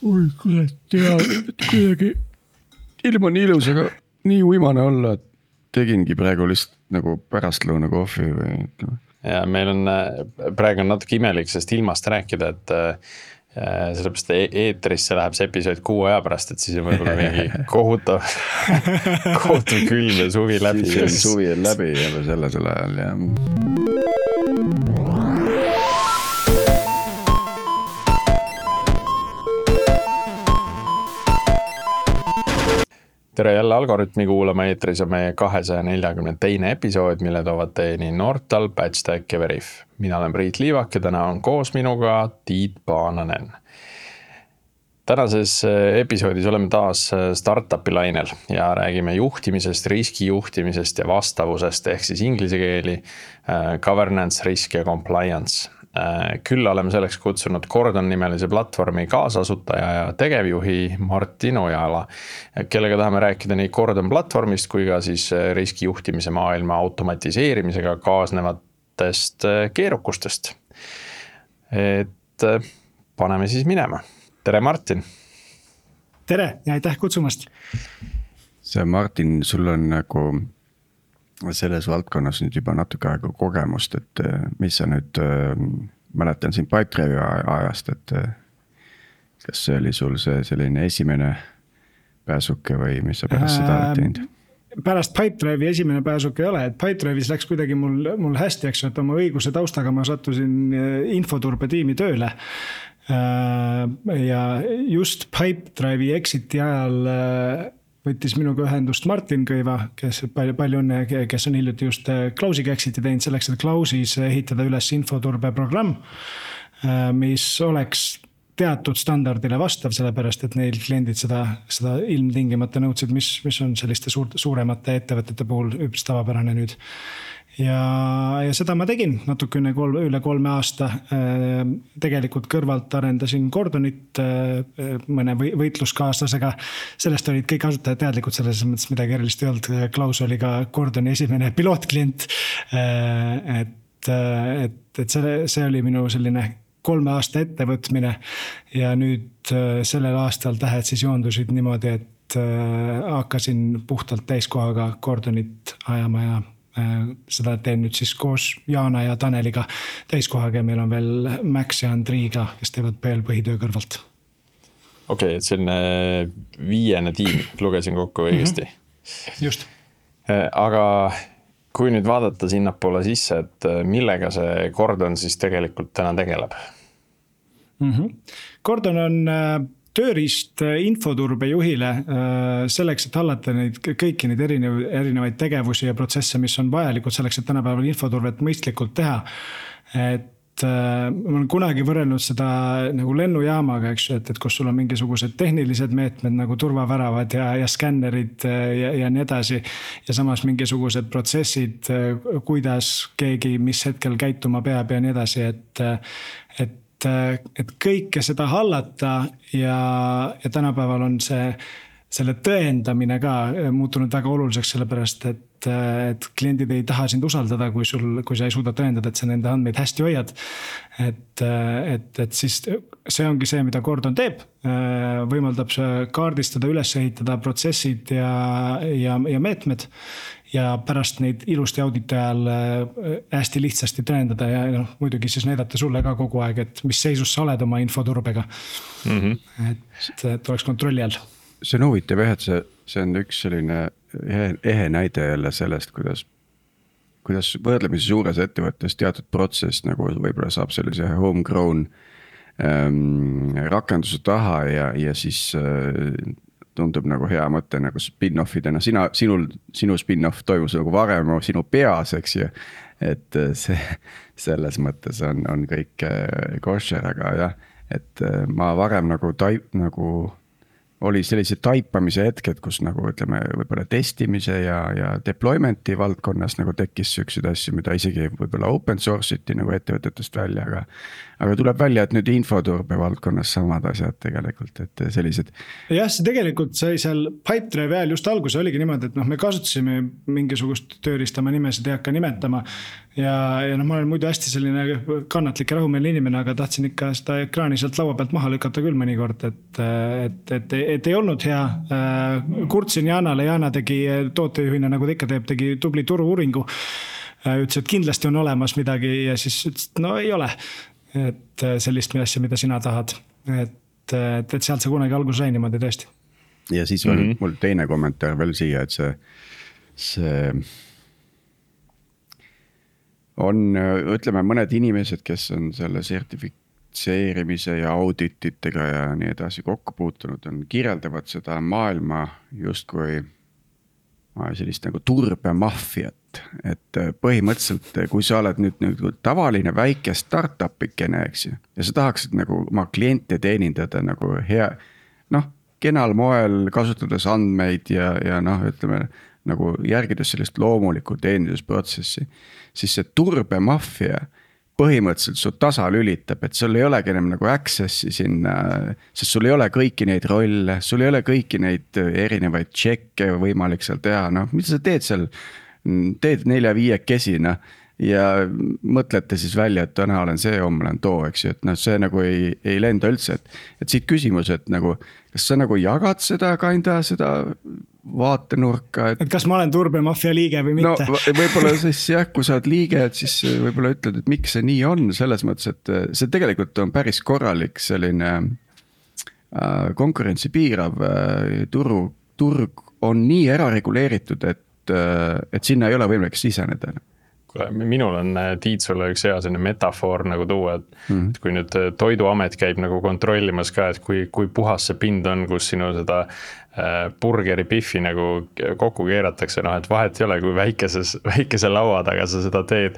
oi kurat, ja kuidagi ilm on ilus, aga nii uimane olla, et tegingi praegu lihtsalt nagu pärastlõuna kohvi või ütleme. Ja meil on praegu natuke imelik sellest ilmast rääkida, et sellepärast eetrisse läheb see episood 6 aja pärast, et siis on võib-olla mingi kohutav külm ja suvi läbi. Siis suvi on läbi ja sellel ajal ja... Tere jälle Algoritmi kuulama, eetris on meie 242. episood, mille toovad teieni Nortal, Patchstack ja Veriff. Mina olen Priit Liivak ja täna on koos minuga Tiit Paananen. Tänases episoodis oleme taas startupi lainel ja räägime juhtimisest, riskijuhtimisest ja vastavusest ehk siis inglise keeli governance, risk ja compliance. Küll oleme selleks kutsunud Gordon nimelise platvormi kaasasutaja ja tegevjuhi Martin Ojala, kellega tahame rääkida nii Gordon platvormist kui ka siis riskijuhtimise maailma automatiseerimisega kaasnevatest keerukustest. Et paneme siis minema. Tere Martin! Tere ja aitäh kutsumast! See Martin, sul on nagu selles valdkonnas nüüd juba natuke aega kogemust, et mis sa nüüd mäletan siin Pipedrive'i ajast, et kas see oli sul see selline esimene pääsuke või mis sa pärast seda oled teinud? Pärast Pipedrive'i esimene pääsuke ei ole, et Pipedrive'is läks kuidagi mul hästi, eks, et oma õiguse taustaga ma sattusin infoturbe tiimi tööle ja just Pipedrive'i exiti ajal võttis minuga ühendust Martin Kõiva, kes palju õnne, kes on hiljuti just Klausiga exiti teinud selleks, et Klausis ehitada üles infoturbe programm, mis oleks teatud standardile vastav, sellepärast, et neil kliendid seda ilmtingimata nõudsid, mis on selliste suuremate ettevõtete puhul üpris tavapärane nüüd. Ja seda ma tegin natuke üle 3 aasta. Tegelikult kõrvalt arendasin Gordonit mõne võitluskaaslasega. Sellest olid kõik asutajad teadlikud, selles mõttes midagi erilist ei olnud. Klaus oli ka Gordoni esimene pilootklient. Et see oli minu selline 3 aasta ettevõtmine ja nüüd sellel aastal tähed siis joondusid niimoodi, et hakkasin puhtalt täiskohaga Gordonit ajama ja seda teen nüüd siis koos Jaana ja Taneliga täiskohaga ja meil on veel Max ja Andriiga, kes teevad veel põhitöö kõrvalt. Okei, et selline 5. tiim, lugesin kokku õigesti. Just. Aga kui nüüd vaadata sinnapoole sisse, et millega see Gordon siis tegelikult täna tegeleb? Gordon on tööriist infoturbe juhile selleks, et hallata kõiki neid erinevaid tegevusi ja protsesse, mis on vajalikud selleks, et tänapäeval infoturvet mõistlikult teha. Et ma olen kunagi võrrelnud seda nagu lennujaamaga, eks, et kus sul on mingisugused tehnilised meetmed nagu turvaväravad ja skännerid ja nii edasi. Ja samas mingisugused protsessid, kuidas keegi mis hetkel käituma peab ja nii edasi, et kõike seda hallata ja tänapäeval on selle tõendamine ka muutunud väga oluliseks, sellepärast, et kliendid ei taha sind usaldada, kui sa ei suuda tõendada, et sa nende andmeid hästi hoiad. Et siis see ongi see, mida Gordon teeb, võimaldab kaardistada, üles ehitada protsessid ja meetmed ja pärast neid ilusti auditi ajal hästi lihtsasti tõendada ja muidugi siis näidata sulle ka kogu aeg, et mis seisus sa oled oma infoturbega. Et oleks kontrolli all. See on huvitav, et see on üks selline ehe näide jälle sellest, kuidas võrdlemisi suures ettevõttes teatud protsess nagu võib-olla saab sellise homegrown rakenduse taha ja siis tundub nagu hea mõte nagu spin-offidena. Sinu spin-off toimus nagu varem sinu peas, eks ju. Et see selles mõttes on kõik kosher, aga jah, et ma varem nagu oli sellised taipamise hetked, kus nagu ütleme, võib-olla testimise ja deployment'i valdkonnas nagu tekkis selliseid asju, mida isegi võib-olla open source iti nagu ettevõtetest välja, aga tuleb välja, et nüüd infoturbe valdkonnas samad asjad tegelikult, et sellised. Jah, see tegelikult sai seal Pipedrive ajal just alguse oligi niimoodi, et me kasutasime mingisugust tööriista, ma nimesid ei hakka nimetama ja ma olen muidu hästi selline kannatlik ja rahumeelne inimene, aga tahtsin ikka seda ekraani sealt laua pealt maha lükata küll mõnikord, et ei olnud hea. Kurtsin Jaanale, Jaana tegi tootejuhina, nagu ta ikka teeb, tegi tubli turu-uuringu. Ütles, et kindlasti on olemas midagi ja siis ütles, et no ei ole. Et sellist asja, mida sina tahad. Et sealt see kunagi algus sai niimoodi tõesti. Ja siis on mul teine kommentaar veel siia, et see on, ütleme, mõned inimesed, kes on selle sertifitseerimise ja audititega ja nii edasi kokku puutunud, kirjeldavad seda maailma justkui sellist nagu turbemaffiat, et põhimõtteliselt, kui sa oled nüüd tavaline väike startupikene, eks ju, ja sa tahaksid nagu oma kliente teenindada nagu hea, kenal moel kasutades andmeid ja ütleme, nagu järgides sellist loomulikku teenindusprotsessi, siis see turbemaffia põhimõtteliselt su tasa lülitab, et sul ei olegi enam nagu access'i sinna, sest sul ei ole kõiki neid rolle, sul ei ole kõiki neid erinevaid tšekke võimalik seal teha, mida sa teed seal, teed 4-5 ja mõtlete siis välja, et täna olen see, homme olen too, eks ju, et see nagu ei lenda üldse, et siit küsimus, et nagu, kas sa nagu jagad seda vaatenurka, et kas ma olen turbemafia liige või mitte? Võib-olla siis jah, kui sa oled liige, et siis võib-olla ütled, et miks see nii on, selles mõttes, et see tegelikult on päris korralik selline konkurentsi piirav turg on nii ärareguleeritud, et sinna ei ole võimalik siseneda. Minul on Tiit sulle üks hea selline metafoor nagu tuua, et kui nüüd Toiduamet käib nagu kontrollimas ka, et kui puhas see pind on, kus sinu seda burgeri piffi nagu kokku keeratakse, et vahet ei ole, kui väikese laua taga sa seda teed,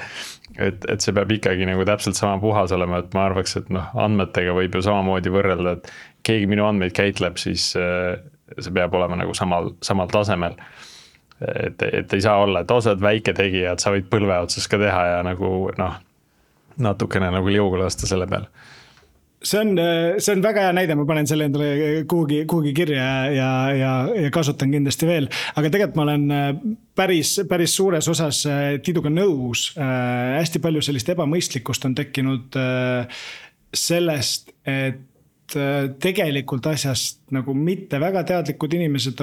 et see peab ikkagi nagu täpselt sama puhas olema, et ma arvaks, et andmetega võib ju samamoodi võrrelda, et keegi minu andmeid käitleb, siis see peab olema nagu samal tasemel. Et ei saa olla, et sa oled väike tegija, et sa võid põlve otsas ka teha ja nagu natukene nagu liugu lasta selle peal. See on väga hea näide, ma panen selle endale kuhugi kirja ja kasutan kindlasti veel, aga tegelikult ma olen päris suures osas Tiiduga nõus. Hästi palju sellist ebamõistlikkust on tekkinud sellest, et tegelikult asjast nagu mitte väga teadlikud inimesed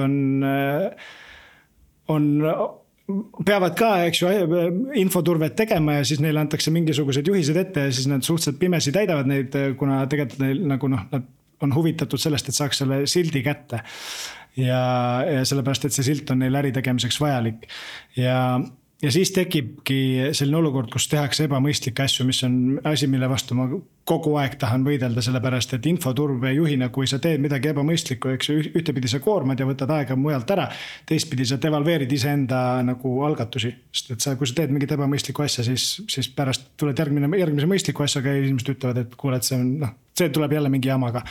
peavad ka, eks ju, infoturvet tegema ja siis neile antakse mingisugused juhised ette ja siis nad suhteliselt pimesi täidavad neid, kuna tegelikult neil nagu nad on huvitatud sellest, et saaks selle sildi kätte. Ja sellepärast, et see silt on neil äri tegemiseks vajalik. Ja siis tekibki selline olukord, kus tehakse ebamõistlikke asju, mis on asi, mille vastu ma kogu aeg tahan võidelda, sellepärast, et infoturbe juhina, kui sa teed midagi ebamõistlikku, eks ühtepidi sa koormad ja võtad aega mujalt ära, teistpidi sa devalveerid iseenda nagu algatusi. Sest et kui sa teed mingit ebamõistlikku asja, siis pärast tuled järgmise mõistliku asjaga ja inimesed ütlevad, et kuule, et see tuleb jälle mingi jamaga.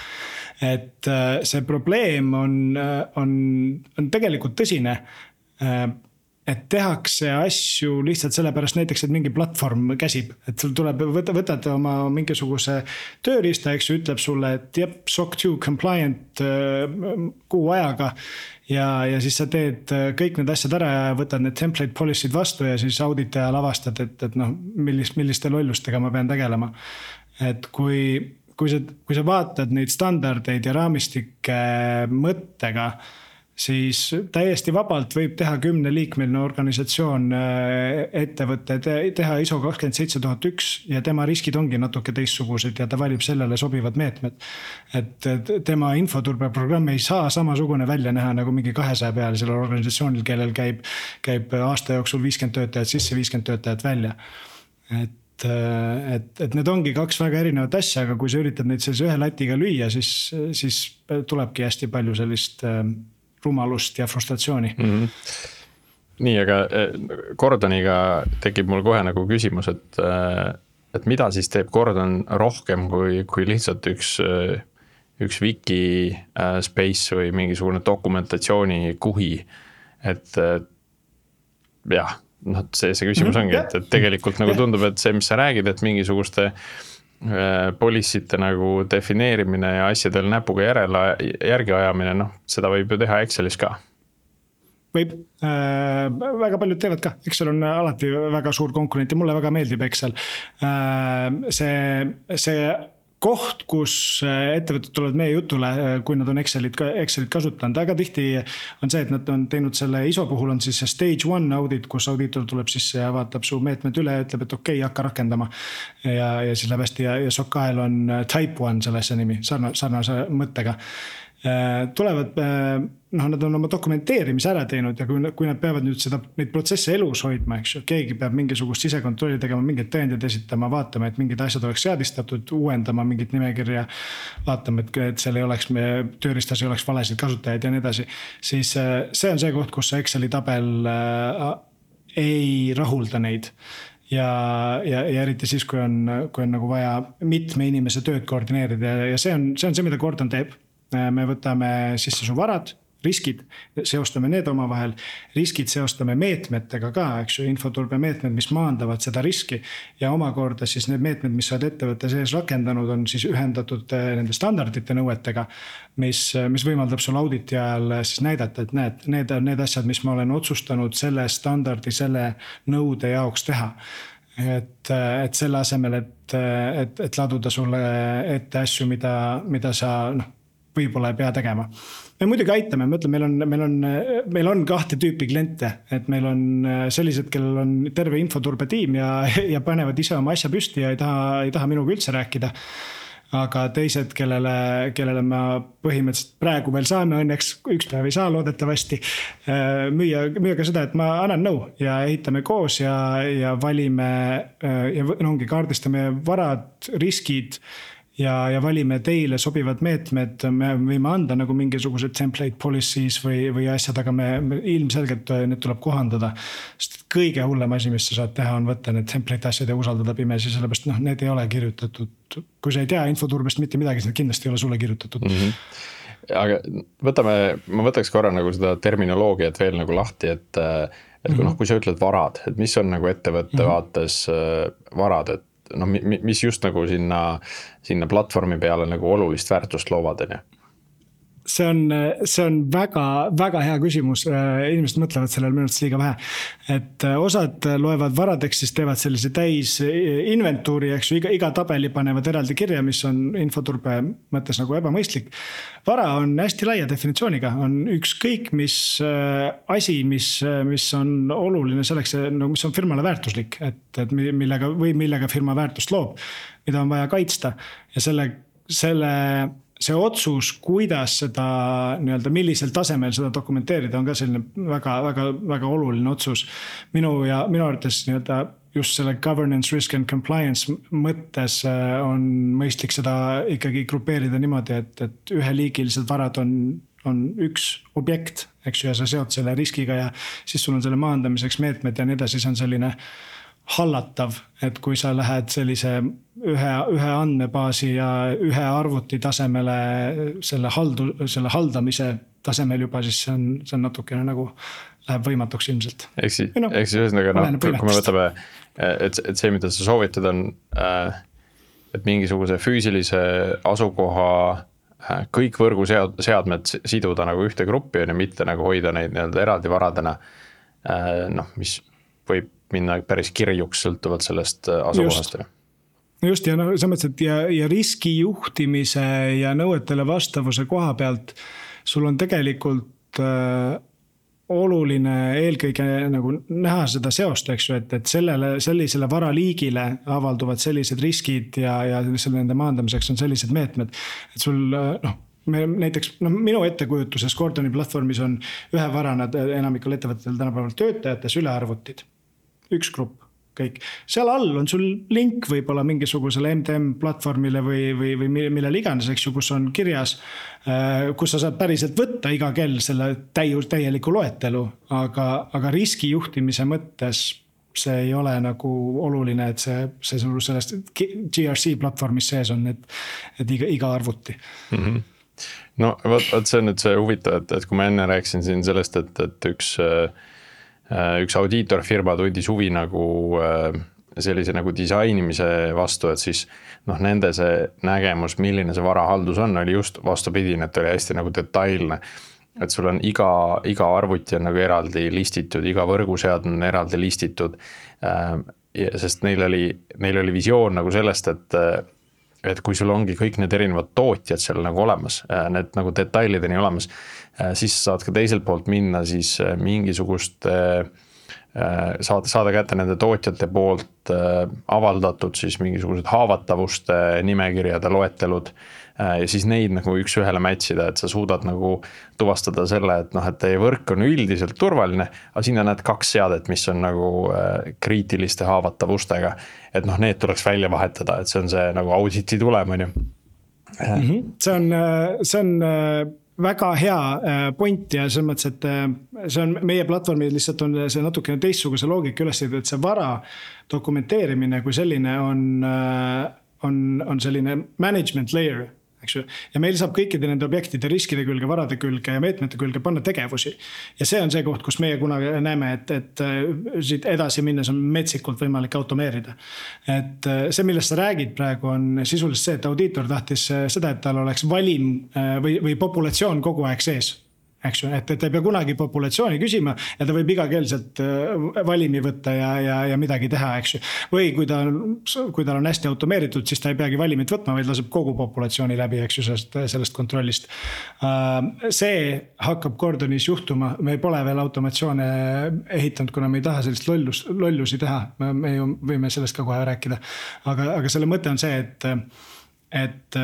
Et see probleem on tegelikult tõsine, et tehakse asju lihtsalt sellepärast näiteks, et mingi platvorm käsib, et sul tuleb, võtad oma mingisuguse tööriista, eks ju, ütleb sulle, et jep, SOC 2 compliant kuu ajaga ja siis sa teed kõik need asjad ära ja võtad need template policy'd vastu ja siis auditaja lavastad, et milliste lollustega ma pean tegelema. Et kui sa vaatad neid standardeid ja raamistike mõttega, siis täiesti vabalt võib teha 10-liikmeline organisatsioon ettevõtte, teha ISO 27001 ja tema riskid ongi natuke teistsugused ja ta valib sellele sobivad meetmed. Et tema infoturbeprogramm ei saa samasugune välja näha nagu mingi 200 peal sellel organisatsioonil, kellel käib aasta jooksul 50 töötajat sisse, 50 töötajat välja. Et need ongi kaks väga erinevat asja, aga kui sa üritad neid sellise ühe latiga lüüa, siis tulebki hästi palju sellist rumalust ja frustratsiooni. Nii, aga Gordoniga tekib mul kohe nagu küsimus, et mida siis teeb Gordon rohkem kui lihtsalt üks wiki space või mingisugune dokumentatsiooni kuhi, et jah, noh, see küsimus ongi, et tegelikult nagu tundub, et see, mis sa räägid, et mingisuguste policy'te nagu defineerimine ja asjadel näpuga järgi ajamine, noh, seda võib ju teha Excelis ka. Võib, väga paljud teevad ka, Excel on alati väga suur konkurent ja mulle väga meeldib Excel. See koht, kus ettevõtted tulevad meie jutule, kui nad on Excelit kasutanud, väga tihti on see, et nad on teinud selle ISO puhul on siis see stage 1 audit, kus audiitor tuleb sisse ja vaatab su meetmed üle ja ütleb, et okei, hakka rakendama. Ja siis läheb hästi ja SOC-l on type 1 sellesse nimi, sarnase mõttega. Tulevad, nad on oma dokumenteerimise ära teinud ja kui nad peavad nüüd neid protsesse elus hoidma, eks ju, keegi peab mingisugust sisekontrolli tegema, mingid tõendid esitama, vaatama, et mingid asjad oleks seadistatud, uuendama mingit nimekirja, vaatama, et seal ei oleks, tööristas ei oleks valesid kasutajaid ja nii edasi, siis see on see koht, kus see Exceli tabel ei rahulda neid. Ja eriti siis, kui on nagu vaja mitme inimese tööd koordineerida ja see on see, mida Gordon teeb. Me võtame sisse su varad, riskid, seostame need omavahel, riskid seostame meetmetega ka, eks ju, infoturbe meetmed, mis maandavad seda riski ja omakorda siis need meetmed, mis sa oled ettevõtte sees rakendanud, on siis ühendatud nende standardite nõuetega, mis võimaldab sul auditi ajal siis näidata, et näed, need on need asjad, mis ma olen otsustanud selle standardi, selle nõude jaoks teha. Et selle asemel, et laduda sulle ette asju, mida sa võib-olla ei pea tegema. Me muidugi aitame, ma ütlen, meil on kahte tüüpi kliente, et meil on sellised, kellel on terve infoturbe tiim ja panevad ise oma asja püsti ja ei taha minuga üldse rääkida. Aga teised, kellele ma põhimõtteliselt praegu veel saame, õnneks üks päev ei saa loodetavasti, müüa ka seda, et ma annan nõu ja ehitame koos ja valime ja ongi kaardistame varad, riskid ja valime teile sobivad meetmed, me võime anda nagu mingisugused template policies või asjad, aga me ilmselgelt need tuleb kohandada. Sest kõige hullem asi, mis sa saad teha, on võtta need template asjad ja usaldada pimesi, sellepärast need ei ole kirjutatud. Kui sa ei tea infoturbest mitte midagi, siis need kindlasti ei ole sulle kirjutatud. Aga ma võtaks korra nagu seda terminoloogiat veel nagu lahti, et kui sa ütled varad, et mis on nagu ettevõtte vaates varad, et mis just nagu sinna platvormi peale nagu olulist väärtust loovad, on ju? See on väga, väga hea küsimus. Inimesed mõtlevad sellel minutist liiga vähe. Et osad loevad varadeks, siis teevad sellise täis inventuuri, eks ju, iga tabeli panevad eraldi kirja, mis on infoturbe mõttes nagu ebamõistlik. Vara on hästi laia definitsiooniga, on ükskõik mis asi, mis on oluline selleks, mis on firmale väärtuslik, et millega firma väärtust loob, mida on vaja kaitsta ja see otsus, kuidas seda millisel tasemel seda dokumenteerida, on ka selline väga, väga, väga oluline otsus. Minu arvates just selle governance, risk and compliance mõttes on mõistlik seda ikkagi grupeerida niimoodi, et üheliigilised varad on üks objekt, eks ju, ja sa seod selle riskiga ja siis sul on selle maandamiseks meetmed ja nii edasi, see on selline hallatav, et kui sa lähed sellise ühe andmebaasi ja ühe arvuti tasemele selle haldamise tasemel juba, siis see on natukene nagu läheb võimatuks ilmselt. Eks siis ühesõnaga, kui me võtame, et see, mida sa soovitad on, et mingisuguse füüsilise asukoha kõik võrguseadmed siduda nagu ühte gruppi ja mitte nagu hoida neid eraldi varadena, mis võib minna päris kirjuks sõltuvalt sellest asukohast. Just ja sa mõtlesid, ja riski juhtimise ja nõuetele vastavuse koha pealt sul on tegelikult oluline eelkõige nagu näha seda seost, eks ju, et sellisele varaliigile avalduvad sellised riskid ja nende maandamiseks on sellised meetmed, et sul näiteks minu ettekujutuses Gordoni platvormis on ühe varana enamikul ettevõtetel tänapäeval töötajate sülearvutid. Üks grupp, kõik. Seal all on sul link võib-olla mingisugusele MTM platvormile või millele iganes, eks ju, kus on kirjas, kus sa saad päriselt võtta iga kell selle täieliku loetelu, aga riski juhtimise mõttes see ei ole nagu oluline, et see sul sellest GRC platvormis sees on, et iga arvuti. No võt see on nüüd see huvitav, et kui ma enne rääkisin siin sellest, et üks audiitorfirma tundis huvi nagu sellise nagu disainimise vastu, et siis nende see nägemus, milline see varahaldus on, oli just vastupidine, et oli hästi nagu detailne. Et sul on iga arvuti on nagu eraldi listitud, iga võrguseadme on eraldi listitud, sest neil oli visioon nagu sellest, et kui sul ongi kõik need erinevad tootjad seal nagu olemas, need nagu detailideni olemas, siis saad ka teiselt poolt minna siis mingisugust, saada kätte nende tootjate poolt avaldatud siis mingisugused haavatavuste nimekirjade loetelud ja siis neid nagu üks ühele matchida, et sa suudad nagu tuvastada selle, et et teie võrk on üldiselt turvaline, aga sinna näed 2 seadet, mis on nagu kriitiliste haavatavustega, et need tuleks välja vahetada, et see on see nagu auditi tulem, on ju. See on väga hea point ja selles mõttes, et see on meie platvormil lihtsalt on see natukene teistsuguse loogika üles, et see vara dokumenteerimine kui selline on selline management layer, eks ju. Ja meil saab kõikide nende objektide riskide külge, varade külge ja meetmete külge panna tegevusi. Ja see on see koht, kus meie kunagi näeme, et siit edasi minnes on metsikult võimalik automeerida. Et see, millest sa räägid praegu, on sisuliselt see, et audiitor tahtis seda, et tal oleks valim või populatsioon kogu aeg sees. Eks ju, et ta ei pea kunagi populatsiooni küsima ja ta võib igakeelselt valimi võtta ja midagi teha, eks ju. Või kui ta on hästi automeeritud, siis ta ei peagi valimit võtma, vaid laseb kogu populatsiooni läbi, eks ju, sellest kontrollist. See hakkab Gordonis juhtuma, me pole veel automatsioone ehitanud, kuna me ei taha sellist lollusi teha, me ju võime sellest ka kohe rääkida. Aga selle mõte on see, et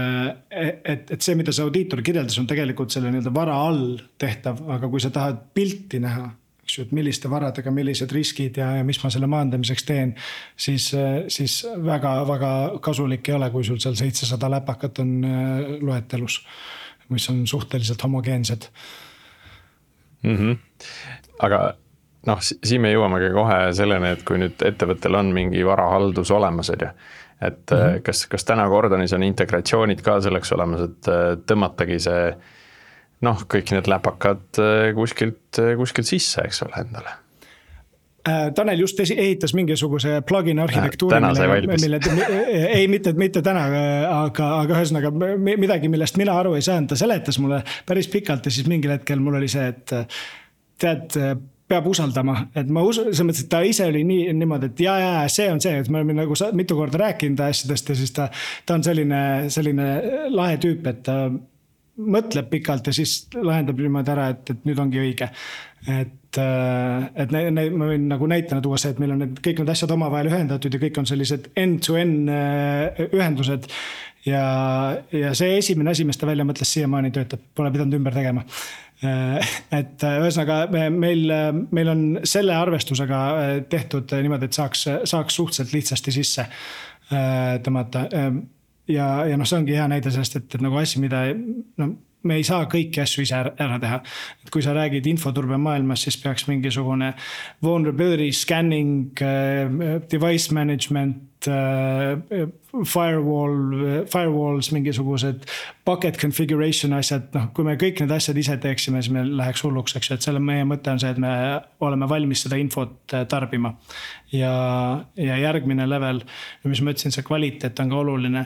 see, mida see audiitor kirjeldas, on tegelikult selle vara all tehtav, aga kui sa tahad pilti näha, eks ju, et milliste varadega, millised riskid ja mis ma selle maandamiseks teen, siis väga, väga kasulik ei ole, kui sul seal 700 läpakat on loetelus, mis on suhteliselt homogeensed. Aga siin me jõuamegi kohe selleni, et kui nüüd ettevõttel on mingi varahaldus olemas, et kas täna Gordonis on integratsioonid ka selleks olemas, et tõmmatagi see kõik need läpakad kuskilt sisse, eks ole, endale? Tanel just ehitas mingisuguse plugin arhitektuuri, ei mitte täna, aga ühesõnaga midagi, millest mina aru ei saanud, ta seletas mulle päris pikalt ja siis mingil hetkel mul oli see, et tead, peab usaldama, et ma selles mõttes, et ta ise oli niimoodi, et see on see, et me oleme nagu mitu korda rääkinud asjadest ja siis ta on selline lahe tüüp, et ta mõtleb pikalt ja siis lahendab niimoodi ära, et nüüd ongi õige. Et ma võin nagu näitena tuua see, et meil on kõik need asjad omavahel ühendatud ja kõik on sellised end-to-end ühendused ja see esimene asi, mis ta välja mõtles, siiamaani töötab, pole pidanud ümber tegema. Et ühesõnaga meil on selle arvestusega tehtud niimoodi, et saaks suhteliselt lihtsasti sisse tõmmata ja see ongi hea näide sellest, et nagu asi, mida me ei saa kõiki asju ise ära teha. Et kui sa räägid infoturbe maailmas, siis peaks mingisugune vulnerability scanning, device management, firewalls, mingisugused bucket configuration asjad, kui me kõik need asjad ise teeksime, siis me läheks hulluks, eks, et selle meie mõte on see, et me oleme valmis seda infot tarbima ja järgmine level, mis ma ütlesin, see kvaliteet on ka oluline,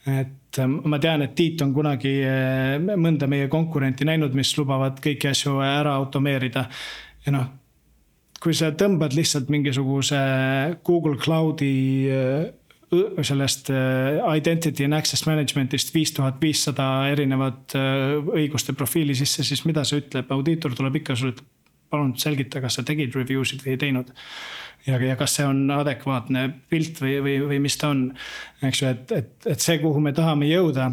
et ma tean, et Tiit on kunagi mõnda meie konkurenti näinud, mis lubavad kõiki asju ära automeerida ja kui sa tõmbad lihtsalt mingisuguse Google Cloudi sellest identity and access managementist 5500 erinevat õiguste profiili sisse, siis mida see ütleb? Audiitor tuleb ikka sulle, palun selgita, kas sa tegid reviewsid või ei teinud. Ja kas see on adekvaatne pilt või mis ta on. Eks ju, et see, kuhu me tahame jõuda,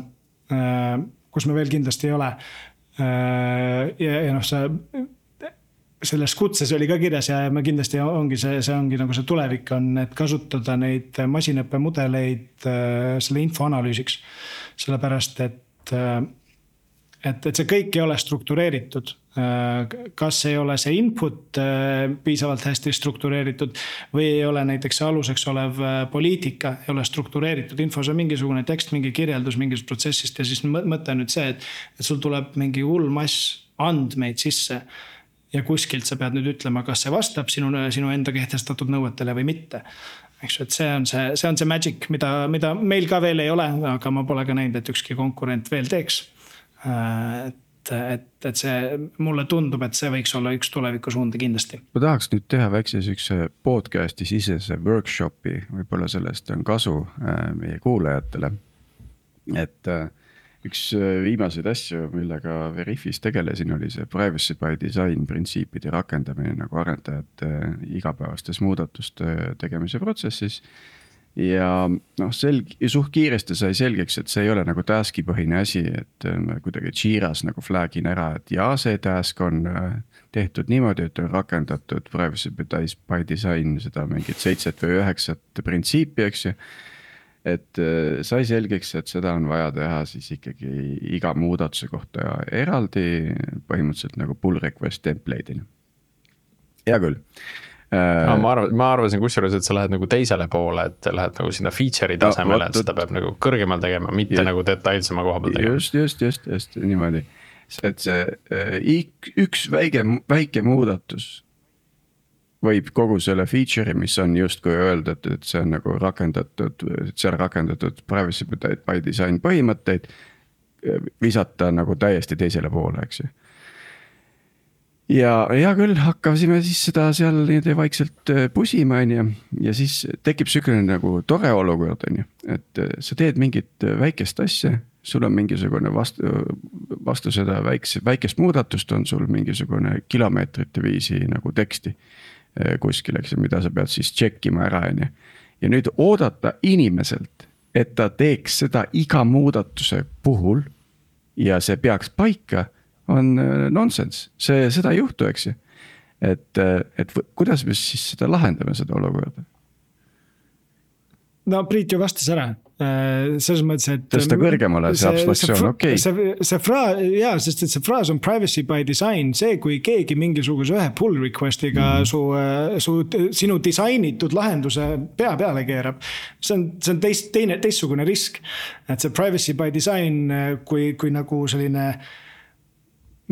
kus me veel kindlasti ei ole. Ja selles kutses oli ka kirjas ja me kindlasti ongi see ongi nagu see tulevik on, et kasutada neid masinõppemudeleid selle info analüüsiks. Sellepärast, et see kõik ei ole struktureeritud. Kas ei ole see input piisavalt hästi struktureeritud või ei ole näiteks see aluseks olev poliitika ei ole struktureeritud. Infos on mingisugune tekst, mingi kirjeldus mingist protsessist ja siis mõte on nüüd see, et sul tuleb mingi hull mass andmeid sisse ja kuskilt sa pead nüüd ütlema, kas see vastab sinu enda kehtestatud nõuetele või mitte. Eks, et see on see magic, mida meil ka veel ei ole, aga ma pole ka näinud, et ükski konkurent veel teeks. Et see, mulle tundub, et see võiks olla üks tulevikusuundi kindlasti. Ma tahaks nüüd teha väikse sükse podcasti sisese workshopi, võib-olla sellest on kasu meie kuulajatele. Et üks viimaseid asju, millega Veriffis tegelesin, oli see privacy by design printsiipide rakendamine nagu arendajate igapäevastes muudatuste tegemise protsessis. Ja suht kiiresti sai selgeks, et see ei ole nagu taski põhine asi, et kuidagi Jiras nagu flagin ära, et see task on tehtud niimoodi, et on rakendatud privacy by design seda mingit 7 või 9 printsiipi, eks ju. Et sai selgeks, et seda on vaja teha siis ikkagi iga muudatuse kohta eraldi põhimõtteliselt nagu pull request template'ina. Hea küll. Ma arvasin kusjuures, et sa lähed nagu teisele poole, et lähed nagu sinna feature'i tasemele, et seda peab nagu kõrgemal tegema, mitte nagu detailsema koha peal tegema. Just, niimoodi. Et see üks väike muudatus võib kogu selle feature'i, mis on justkui öelda, et see on nagu rakendatud privacy by design põhimõtteid, visata nagu täiesti teisele poole, eks ju. Ja hea küll, hakkasime siis seda seal niimoodi vaikselt pusima, ja siis tekib selline nagu tore olukord, et sa teed mingit väikest asja, sul on mingisugune vastu seda väikest muudatust on sul mingisugune kilomeetrite viisi nagu teksti kuskil, eks, mida sa pead siis tšekkima ära. Ja nüüd oodata inimeselt, et ta teeks seda iga muudatuse puhul ja see peaks paika, on nonsense. Seda ei juhtu, eks. Et kuidas me siis seda lahendame, seda olukorda? No Priit ju vastas ära. Selles mõttes, et tõsta kõrgemale see abstraktsioon, okei. Sest see fraas on privacy by design, see kui keegi mingisuguse ühe pull requestiga sinu disainitud lahenduse pea peale keerab, see on teistsugune risk. Et see privacy by design, kui nagu selline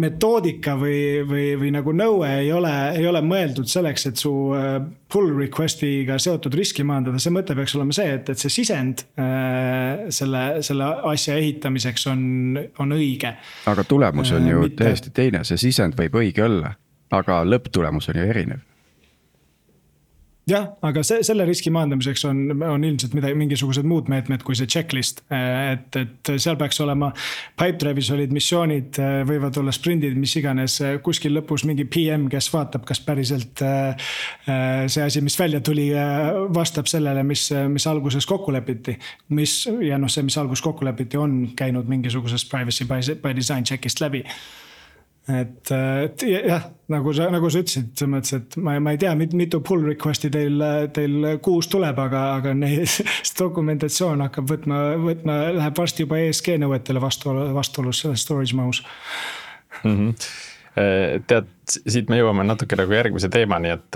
metoodika või nagu nõue ei ole mõeldud selleks, et su pull requestiga seotud riski maandada. See mõte peaks olema see, et see sisend selle asja ehitamiseks on õige. Aga tulemus on ju täiesti teine, see sisend võib õige olla, aga lõpptulemus on ju erinev. Jah, aga selle riski maandamiseks on ilmselt mingisugused muud meetmed kui see checklist, et seal peaks olema Pipedrive'is olid missioonid, võivad olla sprindid, mis iganes, kuskil lõpus mingi PM, kes vaatab, kas päriselt see asi, mis välja tuli, vastab sellele, mis alguses kokku lepiti, mis alguses kokku lepiti, on käinud mingisugusest privacy by design checkist läbi. Et jah, nagu sa ütlesid, et ma ei tea, mitu pull requesti teil kuus tuleb, aga dokumentatsioon hakkab võtma, läheb varsti juba ESG nõuetele vastuolus storage mahus. Tead, siit me jõuame natuke nagu järgmise teemani, et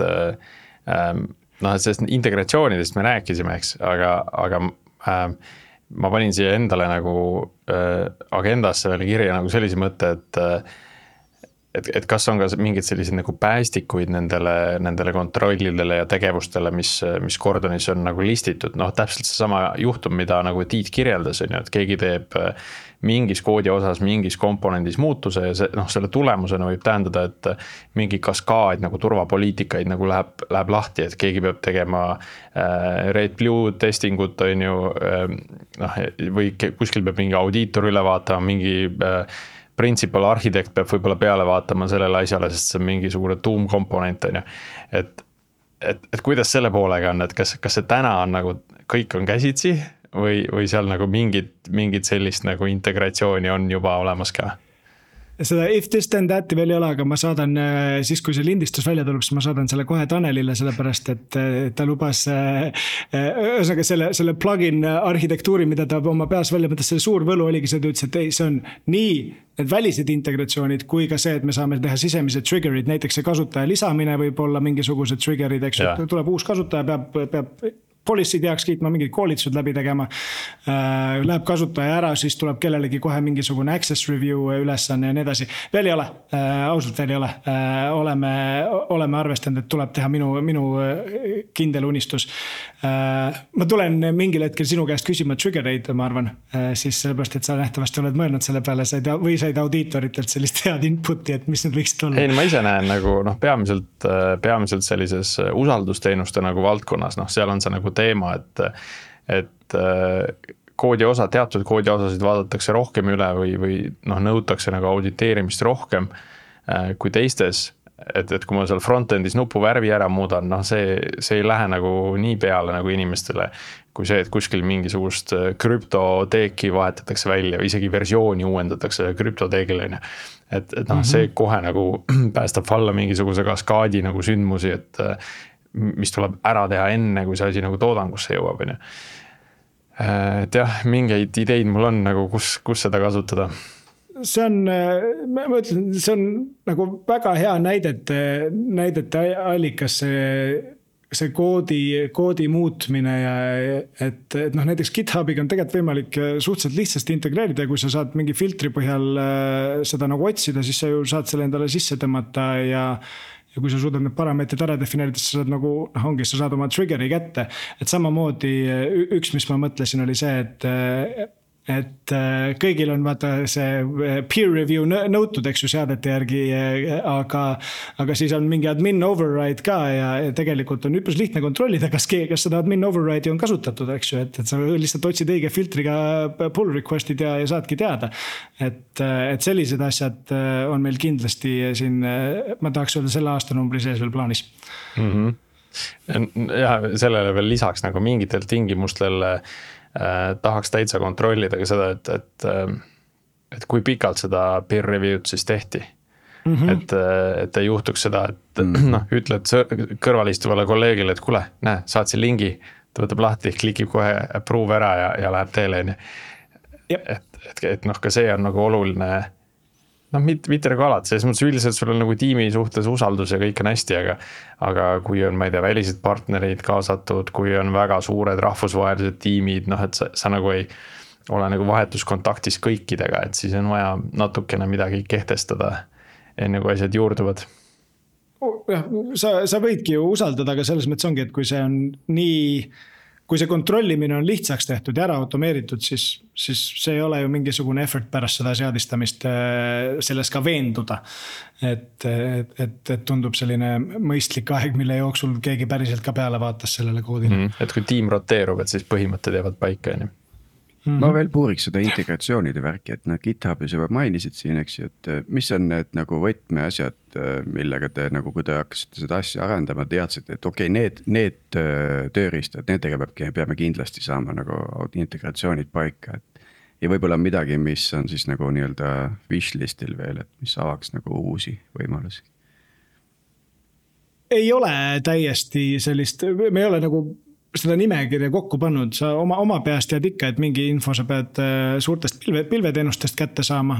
sellest integratsioonidest me rääkisime, eks, aga ma panin siia endale nagu agendasse veel kirja nagu sellise mõtte, et kas on ka mingid sellised nagu päästikuid nendele kontrollidele ja tegevustele, mis Gordonis on nagu listitud. Täpselt see sama juhtum, mida nagu Tiit kirjeldas, on ju, et keegi teeb mingis koodi osas, mingis komponendis muutuse ja selle tulemusena võib tähendada, et mingi kaskaad nagu turvapoliitikaid nagu läheb lahti, et keegi peab tegema red blue testingut, on ju, või kuskil peab mingi audiitor üle vaatama, mingi principal arhitekt peab võib-olla peale vaatama sellele asjale, sest see on mingisugune tuumkomponent, on ju. Et kuidas selle poolega on, et kas see täna on nagu kõik on käsitsi või seal nagu mingid sellist nagu integratsiooni on juba olemas ka? seda if this then that'i veel ei ole, aga ma saadan siis, kui see lindistus välja tuleb, siis ma saadan selle kohe Tanelile, sellepärast et ta lubas ühesõnaga selle plugin arhitektuuri, mida ta oma peas välja mõtles, selle suur võlu oligi see, ta ütles, et ei, see on nii need välised integratsioonid, kui ka see, et me saame teha sisemised triggerid, näiteks see kasutaja lisamine võib olla mingisugused triggerid, eks ju, tuleb uus kasutaja, peab policy'd heaks kiitma, mingid koolitused läbi tegema, läheb kasutaja ära, siis tuleb kellelegi kohe mingisugune access review ülesanne ja nii edasi. Veel ei ole, ausalt veel ei ole. Oleme arvestanud, et tuleb teha minu kindel unistus. Ma tulen mingil hetkel sinu käest küsima triggereid, ma arvan, siis sellepärast, et sa nähtavasti oled mõelnud selle peale või said audiitoritelt sellist head inputi, et mis need võiksid olla? Ei, ma ise näen nagu peamiselt sellises usaldusteenuste nagu valdkonnas, seal on see nagu teema, et teatud koodiosasid vaadatakse rohkem üle või nõutakse nagu auditeerimist rohkem kui teistes, et kui ma seal frontendis nupu värvi ära muudan, see ei lähe nagu nii peale nagu inimestele, kui see, et kuskil mingisugust krüptoteeki vahetatakse välja või isegi versiooni uuendatakse krüptoteegile. Et see kohe nagu päästab valla mingisuguse kaskaadi nagu sündmusi, et mis tuleb ära teha enne, kui see asi nagu toodangusse jõuab. Et jah, mingeid ideid mul on nagu, kus seda kasutada. See on, ma ütlen, see on nagu väga hea näidete allikas see koodi muutmine ja et näiteks GitHubiga on tegelikult võimalik suhteliselt lihtsasti integreerida ja kui sa saad mingi filtri põhjal seda nagu otsida, siis sa ju saad selle endale sisse tõmmata ja kui sa suudad need parameetrid ära defineerida, siis sa saad nagu, sa saad oma triggeri kätte. Et samamoodi üks, mis ma mõtlesin, oli see, et kõigil on vaata see peer review nõutud, eks ju seadete järgi, aga siis on mingi admin override ka ja tegelikult on üpris lihtne kontrollida, kas seda admin override'i on kasutatud, eks ju, et sa lihtsalt otsid õige filtriga pull request'id ja saadki teada. Et sellised asjad on meil kindlasti siin, ma tahaks öelda selle aastanumbri sees veel plaanis. Ja sellele veel lisaks nagu mingitel tingimustel tahaks täitsa kontrollida ka seda, et kui pikalt seda peer review'd siis tehti. Et ei juhtuks seda, et ütled kõrvalistuvale kolleegile, et kuule, näe, saatsin lingi, ta võtab lahti, klikib kohe approve ära ja läheb teele. Et ka see on nagu oluline, mitte nagu alati, selles mõttes üldiselt sul on nagu tiimi suhtes usaldus ja kõik on hästi, aga kui on, ma ei tea, välised partnerid kaasatud, kui on väga suured rahvusvahelised tiimid, et sa nagu ei ole nagu vahetuskontaktis kõikidega, et siis on vaja natukene midagi kehtestada, enne kui asjad juurduvad. Sa võidki ju usaldada, aga selles mõttes ongi, et kui see on kui see kontrollimine on lihtsaks tehtud ja ära automeeritud, siis see ei ole ju mingisugune effort pärast seda seadistamist selles ka veenduda. Et tundub selline mõistlik aeg, mille jooksul keegi päriselt ka peale vaatas sellele koodile. Et kui tiim roteerub, et siis põhimõtted jäävad paika. Ma veel puuriks seda integratsioonide värki, et GitHubis juba mainisid siin, eks ju, et mis on need nagu võtmeasjad, millega te nagu, kui te hakkasite seda asja arendama, teadsite, et okei, need tööriistad, nendega peame kindlasti saama nagu integratsioonid paika. Ja võib-olla midagi, mis on siis nagu nii-öelda wishlistil veel, et mis avaks nagu uusi võimalusi. Ei ole täiesti sellist, me ei ole nagu seda nimekirja kokku pannud, sa oma peast tead ikka, et mingi info sa pead suurtest pilveteenustest kätte saama.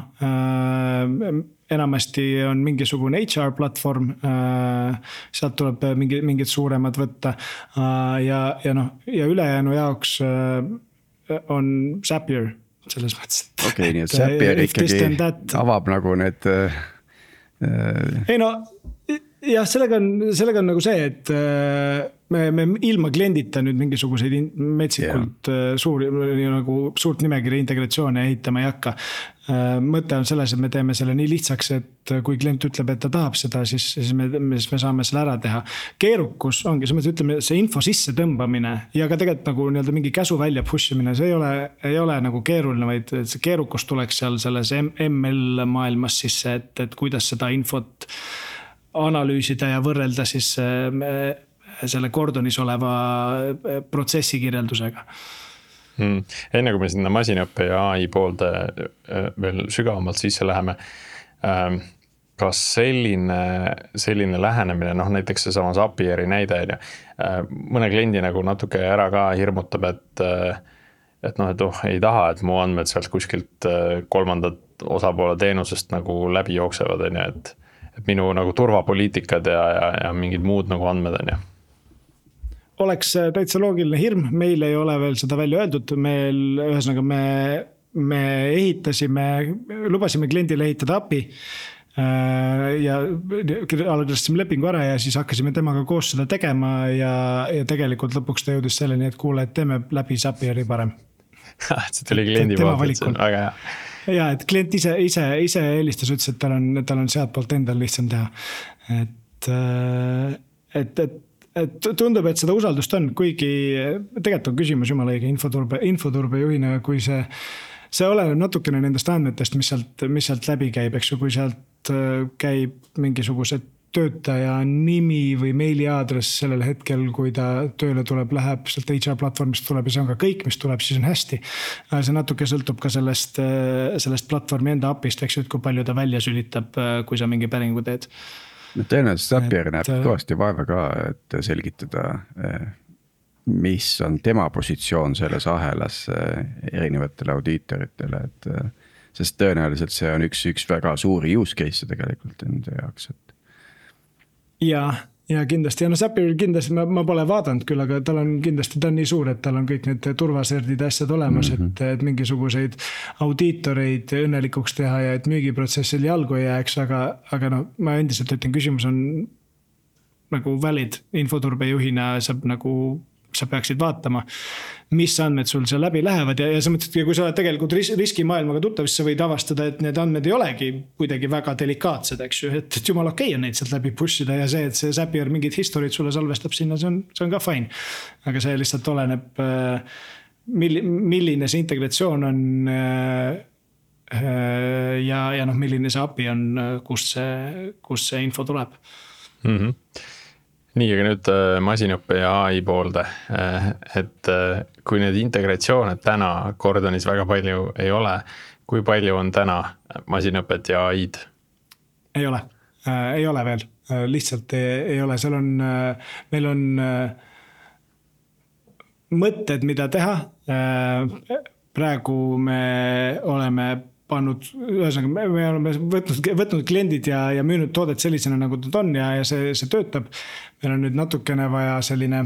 Enamasti on mingisugune HR platvorm, sealt tuleb mingid suuremad võtta ja ülejäänu jaoks on Zapier selles mõttes. Okei, nii et Zapier ikkagi avab nagu need... Ei jah, sellega on nagu see, et me ilma kliendita nüüd mingisuguseid metsikult suurt nimekirja integratsioone ehitama ei hakka. Mõte on selles, et me teeme selle nii lihtsaks, et kui klient ütleb, et ta tahab seda, siis me saame selle ära teha. Keerukus ongi, ütleme, see info sisse tõmbamine ja ka tegelikult nagu mingi käsu välja pushimine, see ei ole nagu keeruline, vaid see keerukus tuleks seal selles ML maailmas sisse, et kuidas seda infot analüüsida ja võrrelda siis selle kordonis oleva protsessi kirjeldusega. Enne kui me sinna masinaõppe ja AI poolde veel sügavamalt sisse läheme, kas selline lähenemine, näiteks see sama Zapieri näide, mõne kliendi nagu natuke ära ka hirmutab, et ei taha, et mu andmed sealt kuskilt kolmandat osapoole teenusest nagu läbi jooksevad, et minu nagu turvapoliitikad ja mingid muud nagu andmed on . Oleks täitsa loogiline hirm, meil ei ole veel seda välja öeldud, ühesõnaga me lubasime kliendile ehitada API ja allkirjastasime lepingu ära ja siis hakkasime temaga koos seda tegema ja tegelikult lõpuks ta jõudis selleni, et kuule, et teeme läbi Zapieri parem. See tuli kliendi poolt, et see on väga hea. Ja, et klient ise eelistas, ütles, et tal on sealt poolt endal lihtsam teha. Et tundub, et seda usaldust on, kuigi tegelikult on küsimus jumala õige infoturbe juhina, kui see oleneb natukene nendest andmetest, mis sealt läbi käib, eks ju, kui sealt käib mingisuguse töötaja nimi või meiliaadress sellel hetkel, kui ta tööle tuleb, läheb sealt HR platvormist tuleb ja see on ka kõik, mis tuleb, siis on hästi. See natuke sõltub ka sellest platvormi enda API-st, eks ju, et kui palju ta välja sülitab, kui sa mingi päringu teed. Tõenäoliselt Zapier näeb kõvasti vaeva ka, et selgitada, mis on tema positsioon selles ahelas erinevatele audiitoritele, sest tõenäoliselt see on üks väga suuri use case tegelikult enda jaoks. Ja kindlasti, Zapier kindlasti ma pole vaadanud küll, aga tal on kindlasti, ta on nii suur, et tal on kõik need turvaserdid asjad olemas, et mingisuguseid audiitoreid õnnelikuks teha ja et müügiprotsessil jalgu ei jääks, aga ma endiselt ütlen, küsimus on nagu valid infoturbejuhina, sa peaksid vaatama, mis andmed sul seal läbi lähevad ja sa mõtled, kui sa oled tegelikult riskimaailmaga tuttav, siis sa võid avastada, et need andmed ei olegi kuidagi väga delikaatsed, eks ju, et jumal okei on neid sealt läbi pushida ja see, et see Zapier mingid historiid sulle salvestab sinna, see on ka fine. Aga see lihtsalt oleneb, milline see integratsioon on ja milline see API on, kus see info tuleb. Nii, aga nüüd masinõppe ja AI poolde, et kui need integratsiooned täna Gordonis väga palju ei ole, kui palju on täna masinõpet ja AI-d? Ei ole veel, lihtsalt ei ole, meil on mõtted, mida teha, praegu me oleme ühesõnaga me oleme võtnud kliendid ja müünud toodet sellisena, nagu ta on ja see töötab. Meil on nüüd natukene vaja selline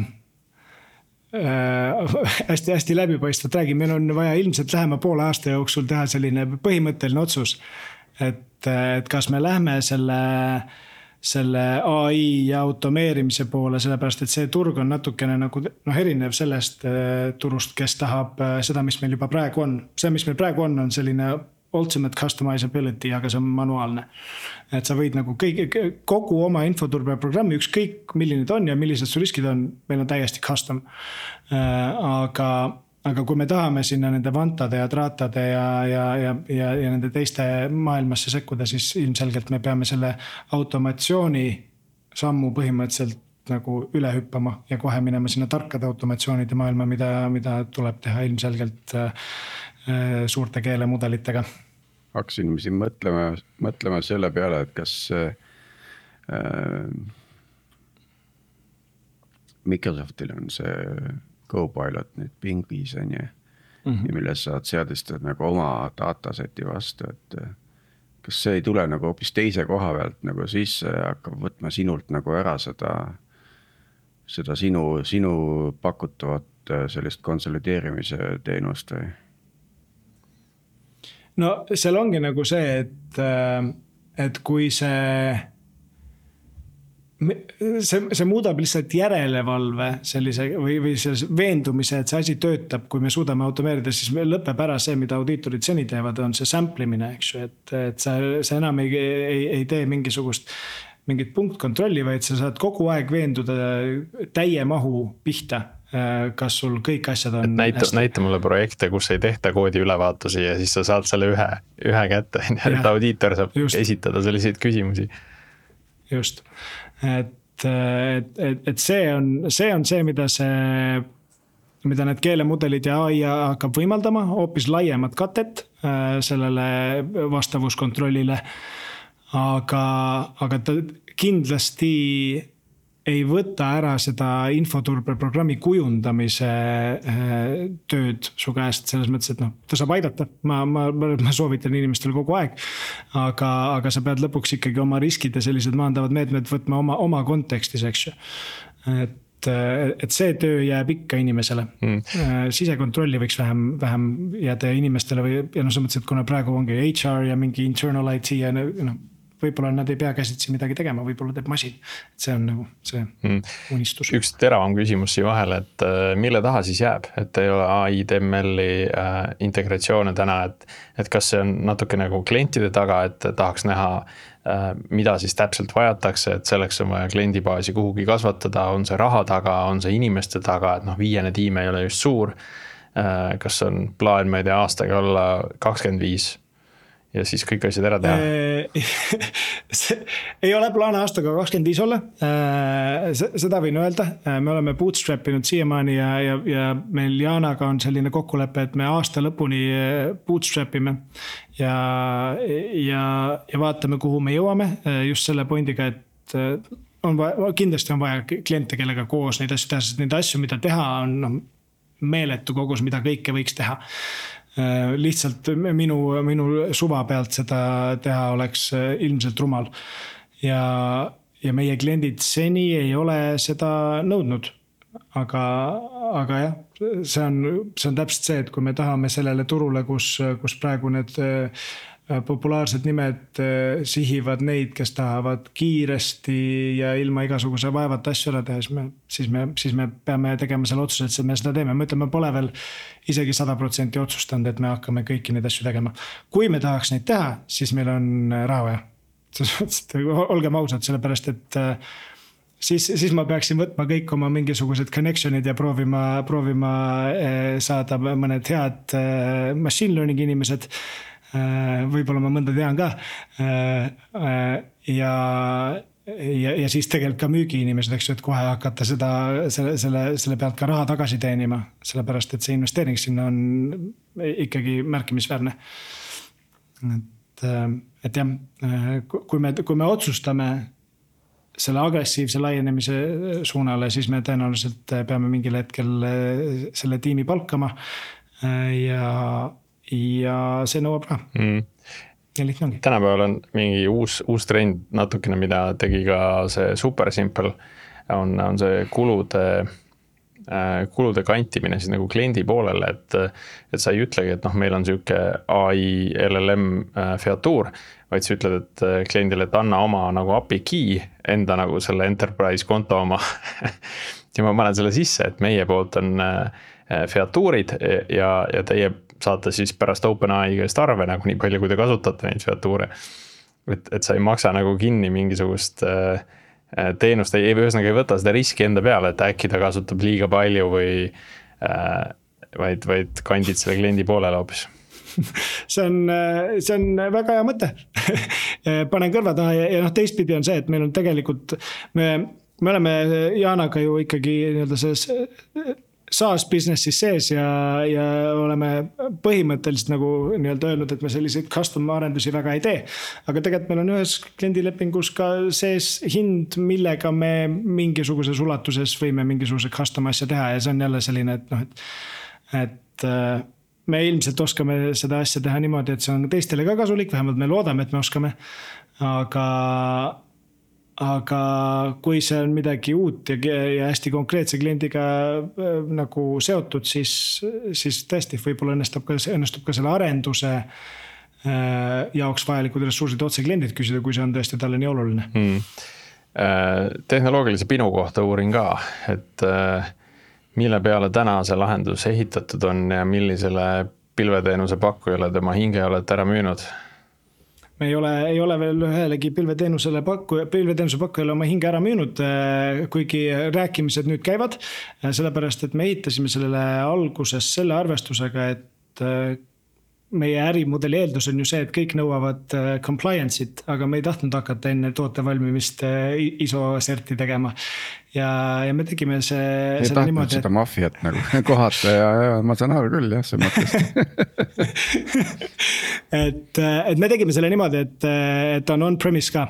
hästi läbipaistvat räägi. Meil on vaja ilmselt lähema poole aasta jooksul teha selline põhimõtteline otsus, et kas me lähme selle AI ja automeerimise poole, sellepärast, et see turg on natukene nagu erinev sellest turust, kes tahab seda, mis meil juba praegu on. See, mis meil praegu on selline ultimate customizability, aga see on manuaalne. Et sa võid nagu kogu oma infoturbe programmi, ükskõik milline ta on ja millised su riskid on, meil on täiesti custom. Aga kui me tahame sinna nende vantade ja traatade ja nende teiste maailmasse sekkuda, siis ilmselgelt me peame selle automatsiooni sammu põhimõtteliselt nagu üle hüppama ja kohe minema sinna tarkade automatsioonide maailma, mida tuleb teha ilmselgelt suurte keelemudelitega. Hakkasin siin mõtlema selle peale, et kas Microsoftil on see Copilot nüüd pingis on ja milles saad seadistada nagu oma dataseti vastu, et kas see ei tule nagu hoopis teise koha pealt nagu sisse ja hakkab võtma sinult nagu ära seda sinu pakutavat sellist konsolideerimise teenust või? No seal ongi nagu see, et kui see muudab lihtsalt järelevalve sellise või sellise veendumise, et see asi töötab, kui me suudame automeerida, siis lõpeb ära see, mida audiitorid seni teevad, on see samplimine, eks ju, et sa enam ei tee mingit punktkontrolli, vaid sa saad kogu aeg veenduda täie mahu pihta, kas sul kõik asjad on näita mulle projekte, kus ei tehta koodi ülevaatusi ja siis sa saad selle ühe kätte, et audiitor saab esitada selliseid küsimusi. Just, et see on see, mida need keelemudelid ja AI hakkab võimaldama, hoopis laiemat katet sellele vastavuskontrollile. aga ta kindlasti ei võta ära seda infoturbeprogrammi kujundamise tööd su käest selles mõttes, et ta saab aidata. Ma soovitan inimestel kogu aeg, aga sa pead lõpuks ikkagi oma riskid ja sellised maandavad meetmed võtma oma kontekstis, eks ju. Et see töö jääb ikka inimesele. Sisekontrolli võiks vähem jääda inimestele ja sa mõtlesid, et kuna praegu ongi HR ja mingi internal IT ja võib-olla nad ei pea käsitsi midagi tegema, võib-olla teeb masin. See on nagu see unistus. Üks teravam küsimus siia vahele, et mille taha siis jääb, et ei ole AI, DML-i integratsioone täna, et kas see on natuke nagu klientide taga, et tahaks näha, mida siis täpselt vajatakse, et selleks on vaja kliendibaasi kuhugi kasvatada, on see raha taga, on see inimeste taga, et viiene tiim ei ole just suur. Kas on plaan, ma ei tea, aastaga olla 25 ja siis kõik asjad ära teha? Ei ole plaan aastaga 25 olla. Seda võin öelda. Me oleme bootstrapinud siiamaani ja meil Jaanaga on selline kokkulepe, et me aasta lõpuni bootstrapime ja vaatame, kuhu me jõuame just selle pointiga, et kindlasti on vaja kliente, kellega koos neid asju teha, sest neid asju, mida teha, on meeletu kogus, mida kõike võiks teha. Lihtsalt minu suva pealt seda teha oleks ilmselt rumal ja meie kliendid seni ei ole seda nõudnud, aga jah, see on täpselt see, et kui me tahame sellele turule, kus praegu need populaarsed nimed sihivad neid, kes tahavad kiiresti ja ilma igasuguse vaevata asju ära teha, siis me peame tegema selle otsuse, et me seda teeme. Me ütleme, pole veel isegi 100% otsustanud, et me hakkame kõiki neid asju tegema. Kui me tahaks neid teha, siis meil on raha vaja. Olgem ausad, sellepärast, et siis ma peaksin võtma kõik oma mingisugused connectionid ja proovima saada mõned head machine learning inimesed. Võib-olla ma mõnda tean ka ja siis tegelikult ka müügiinimesed, eks ju, et kohe hakata selle pealt ka raha tagasi teenima, sellepärast et see investeering sinna on ikkagi märkimisväärne. Et jah, kui me otsustame selle agressiivse laienemise suunale, siis me tõenäoliselt peame mingil hetkel selle tiimi palkama ja see nõuab raha. Ja lihtne ongi. Tänapäeval on mingi uus trend natukene, mida tegi ka see Super Simple, on see kulude kantimine siis nagu kliendi poolele, et sa ei ütlegi, et meil on selline AI LLM featuur, vaid sa ütled, et kliendile, et anna oma nagu API key enda nagu selle enterprise konto oma ja ma panen selle sisse, et meie poolt on featuurid ja teie saate siis pärast OpenAI käest arve nagu nii palju, kui te kasutate neid featuure. Et sa ei maksa nagu kinni mingisugust teenust, ühesõnaga ei võta seda riski enda peale, et äkki ta kasutab liiga palju või vaid kandid selle kliendi poolele hoopis. See on väga hea mõte. Panen kõrva taha ja teistpidi on see, et meil on tegelikult, me oleme Jaanaga ju ikkagi SaaS businessis sees ja oleme põhimõtteliselt nagu öelnud, et me selliseid custom arendusi väga ei tee. Aga tegelikult meil on ühes kliendilepingus ka sees hind, millega me mingisuguses ulatuses võime mingisuguse custom asja teha ja see on jälle selline, et me ilmselt oskame seda asja teha niimoodi, et see on teistele ka kasulik, vähemalt me loodame, et me oskame, aga kui see on midagi uut ja hästi konkreetse kliendiga nagu seotud, siis tõesti võib-olla õnnestub ka selle arenduse jaoks vajalikud ressursid otse kliendid küsida, kui see on tõesti talle nii oluline. Tehnoloogilise pinu kohta uurin ka, et mille peale täna see lahendus ehitatud on ja millisele pilveteenuse pakkujale tema hinge olete ära müünud? Me ei ole veel ühelegi pilveteenuse pakkujale oma hinge ära müünud, kuigi rääkimised nüüd käivad, sellepärast, et me ehitasime sellele alguses selle arvestusega, et meie ärimudeli eeldus on ju see, et kõik nõuavad compliance'it, aga me ei tahtnud hakata enne toote valmimist ISO serti tegema. ja me tegime ei selle tahtnud niimoodi, seda maffiat nagu kohata ja ma saan aru küll jah, see mõttest. et me tegime selle niimoodi, et on on-premise ka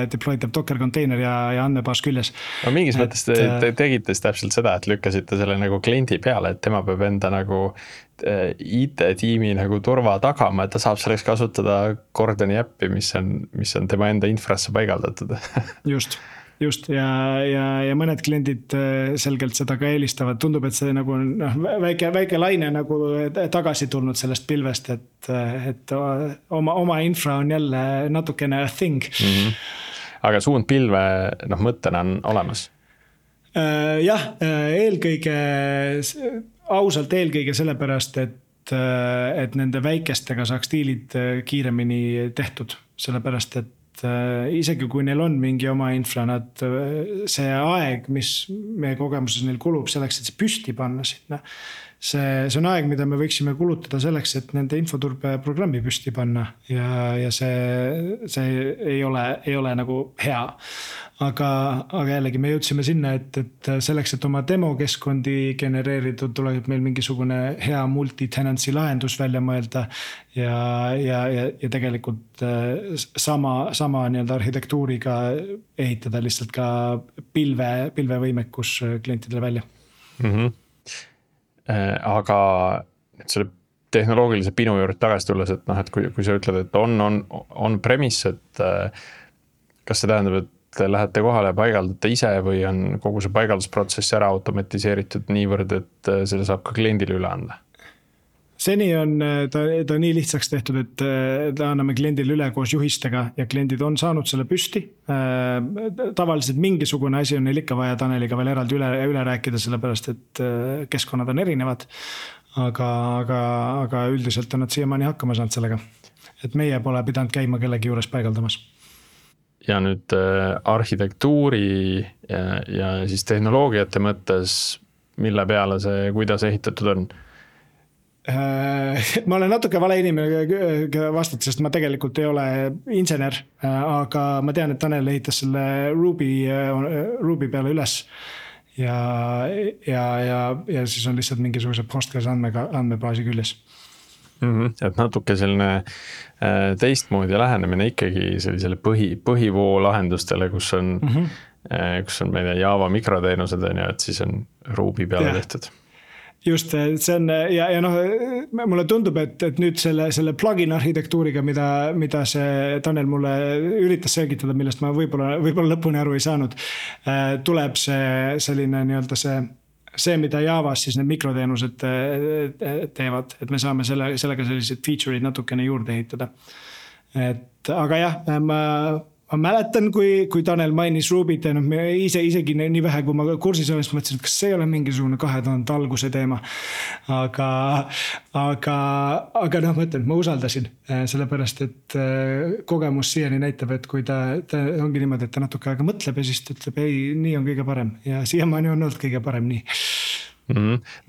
deploytav Docker container ja andmebaas küljes. No mingis mõttes te tegite siis täpselt seda, et lükkasite selle nagu kliendi peale, et tema peab enda nagu IT-tiimi nagu turva tagama, et ta saab selleks kasutada Gordoni äppi, mis on tema enda infrasse paigaldatud. Just ja mõned kliendid selgelt seda ka eelistavad, tundub, et see nagu väike laine nagu tagasi tulnud sellest pilvest, et oma infra on jälle natukene a thing. Aga suund pilve mõttena on olemas? Jah, ausalt eelkõige sellepärast, et nende väikestega saaks diilid kiiremini tehtud, sellepärast, et isegi kui neil on mingi oma infra, see aeg, mis meie kogemuses neil kulub selleks, et see püsti panna sinna, see on aeg, mida me võiksime kulutada selleks, et nende infoturbe programmi püsti panna ja see ei ole nagu hea. Aga jällegi me jõudsime sinna, et selleks, et oma demokeskkondi genereeritud, tuleb meil mingisugune hea multi-tenancy lahendus välja mõelda ja tegelikult sama nii-öelda arhitektuuriga ehitada lihtsalt ka pilvevõimekus klientidele välja. Aga selle tehnoloogilise pinu juurde tagasi tulles, et kui sa ütled, et on premise, et kas see tähendab, et te lähete kohale ja paigaldate ise või on kogu see paigaldusprotsess ära automatiseeritud niivõrd, et selle saab ka kliendile üle anda? Seni on ta nii lihtsaks tehtud, et ta anname kliendile üle koos juhistega ja kliendid on saanud selle püsti. Tavaliselt mingisugune asi on neil ikka vaja Taneliga veel eraldi üle rääkida, sellepärast et keskkonnad on erinevad. Aga üldiselt on nad siiamaani hakkama saanud sellega. Et meie pole pidanud käima kellegi juures paigaldamas. Ja nüüd arhitektuuri ja siis tehnoloogiate mõttes, mille peale see, kuidas ehitatud on? Ma olen natuke vale inimene vastata, sest ma tegelikult ei ole insener, aga ma tean, et Tanel ehitas selle Ruby peale üles ja siis on lihtsalt mingisuguse Postgres andmebaasi küljes. Et natuke selline teistmoodi lähenemine ikkagi sellisele põhivoo lahendustele, kus on meie Java mikroteenused, et siis on Ruby peale tehtud. Just, see on ja mulle tundub, et nüüd selle plugin arhitektuuriga, mida see Tanel mulle üritas selgitada, millest ma võib-olla lõpuni aru ei saanud, tuleb see selline nii-öelda see, mida Javas siis need mikroteenused teevad, et me saame sellega sellised feature'id natukene juurde ehitada. Aga jah, ma mäletan, kui Tanel mainis Rubyt, isegi nii vähe, kui ma kursis olen, siis mõtlesin, et kas see ei ole mingisugune 2000 alguse teema. Aga ma usaldasin, sellepärast, et kogemus siiani näitab, et kui ta ongi niimoodi, et ta natuke aega mõtleb ja siis ta ütleb, ei, nii on kõige parem ja siiamaani on olnud kõige parem nii.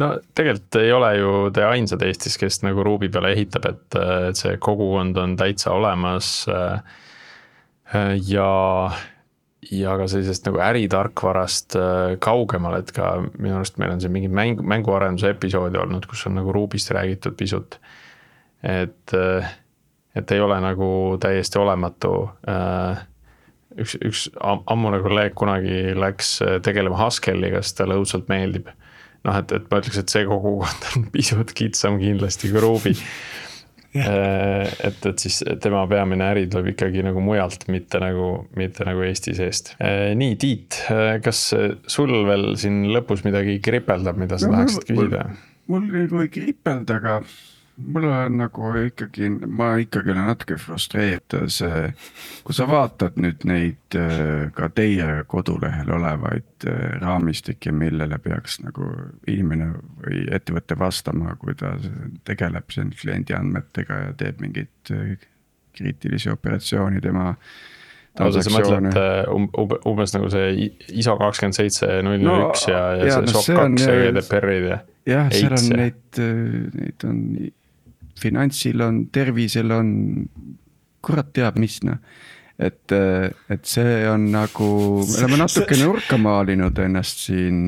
No tegelikult ei ole ju te ainsad Eestis, kes nagu Ruby peale ehitab, et see kogukond on täitsa olemas ja ka sellisest nagu äritarkvarast kaugemal, et ka minu arust meil on see mingi mänguarenduse episoodi olnud, kus on nagu Rubyst räägitud pisut, et ei ole nagu täiesti olematu. Üks ammune kolleeg kunagi läks tegelema Haskelliga, sest talle õudselt meeldib. Et ma ütleks, et see kogukond on pisut kitsam kindlasti kui Ruby. Et siis tema peamine äri tuleb ikkagi nagu mujalt, mitte nagu Eesti seest. Nii, Tiit, kas sul veel siin lõpus midagi kripeldab, mida sa tahaksid küsida? Mul ei kripelda, aga mul on nagu ikkagi, ma ikkagi olen natuke frustreeritud, kui sa vaatad nüüd neid ka teie kodulehel olevaid raamistikke, millele peaks nagu inimene või ettevõtte vastama, kui ta tegeleb siin kliendi andmetega ja teeb mingit kriitilisi operatsiooni tema transaktsioone. Sa mõtled umbes nagu see ISO 27001 ja see SOC 2 ja GDPR-id ja jah, seal on neid on finantsil on, tervisel on, kurat teab mis. et see on nagu, me oleme natuke nurka maalinud ennast siin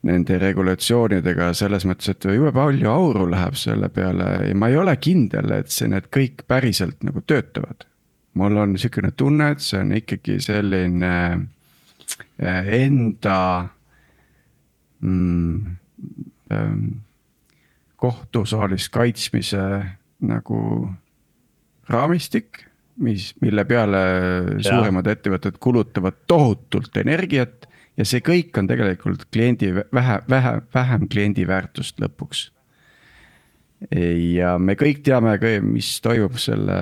nende regulatsioonidega selles mõttes, et jube palju auru läheb selle peale ja ma ei ole kindel, et need kõik päriselt nagu töötavad. Mul on niisugune tunne, et see on ikkagi selline enda kohtusaalis kaitsmise nagu raamistik, mille peale suuremad ettevõtted kulutavad tohutult energiat ja see kõik on tegelikult vähem kliendi väärtust lõpuks. Ja me kõik teame, mis toimub selle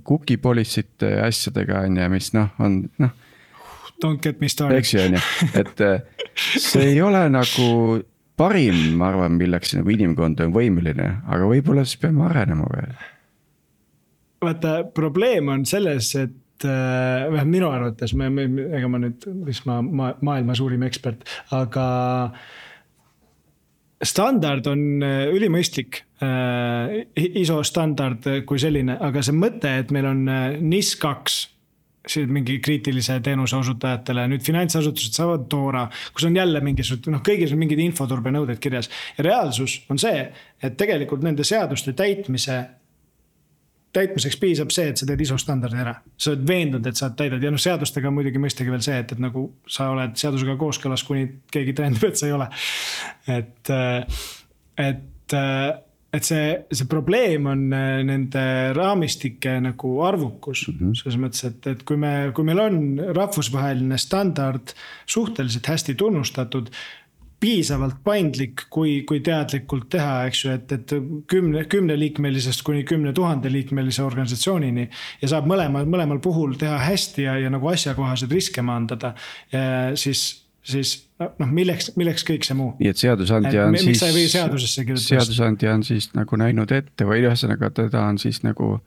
cookie policy'te asjadega ja mis on Don't get me started. Eks ju, et see ei ole nagu parim, ma arvan, milleks nagu inimkond on võimeline, aga võib-olla siis peame arenema veel. Vaata, probleem on selles, et minu arvates, ega ma nüüd, mis maailma suurim ekspert, aga standard on ülimõistlik, ISO standard kui selline, aga see mõte, et meil on NIS2, mingi kriitilise teenuse osutajatele, nüüd finantsasutused saavad Toora, kus on jälle mingisugused, kõigis on mingid infoturbe nõuded kirjas. Ja reaalsus on see, et tegelikult nende seaduste täitmiseks piisab see, et sa teed ISO standardi ära. Sa oled veendunud, et sa täidad ja seadustega muidugi mõistagi veel see, et nagu sa oled seadusega kooskõlas, kuni keegi tõendab, et sa ei ole. Et see probleem on nende raamistike nagu arvukus. Selles mõttes, et kui meil on rahvusvaheline standard suhteliselt hästi tunnustatud, piisavalt paindlik, kui teadlikult teha, eks ju, et 10 liikmelisest kuni 10 000 liikmelise organisatsioonini ja saab mõlemal puhul teha hästi ja nagu asjakohased riske maandada, siis milleks kõik see muu? Nii et seadusandja on miks sa ei või seadusesse kirjutada? Seadusandja on siis nagu näinud ette või ühesõnaga teda on siis nagu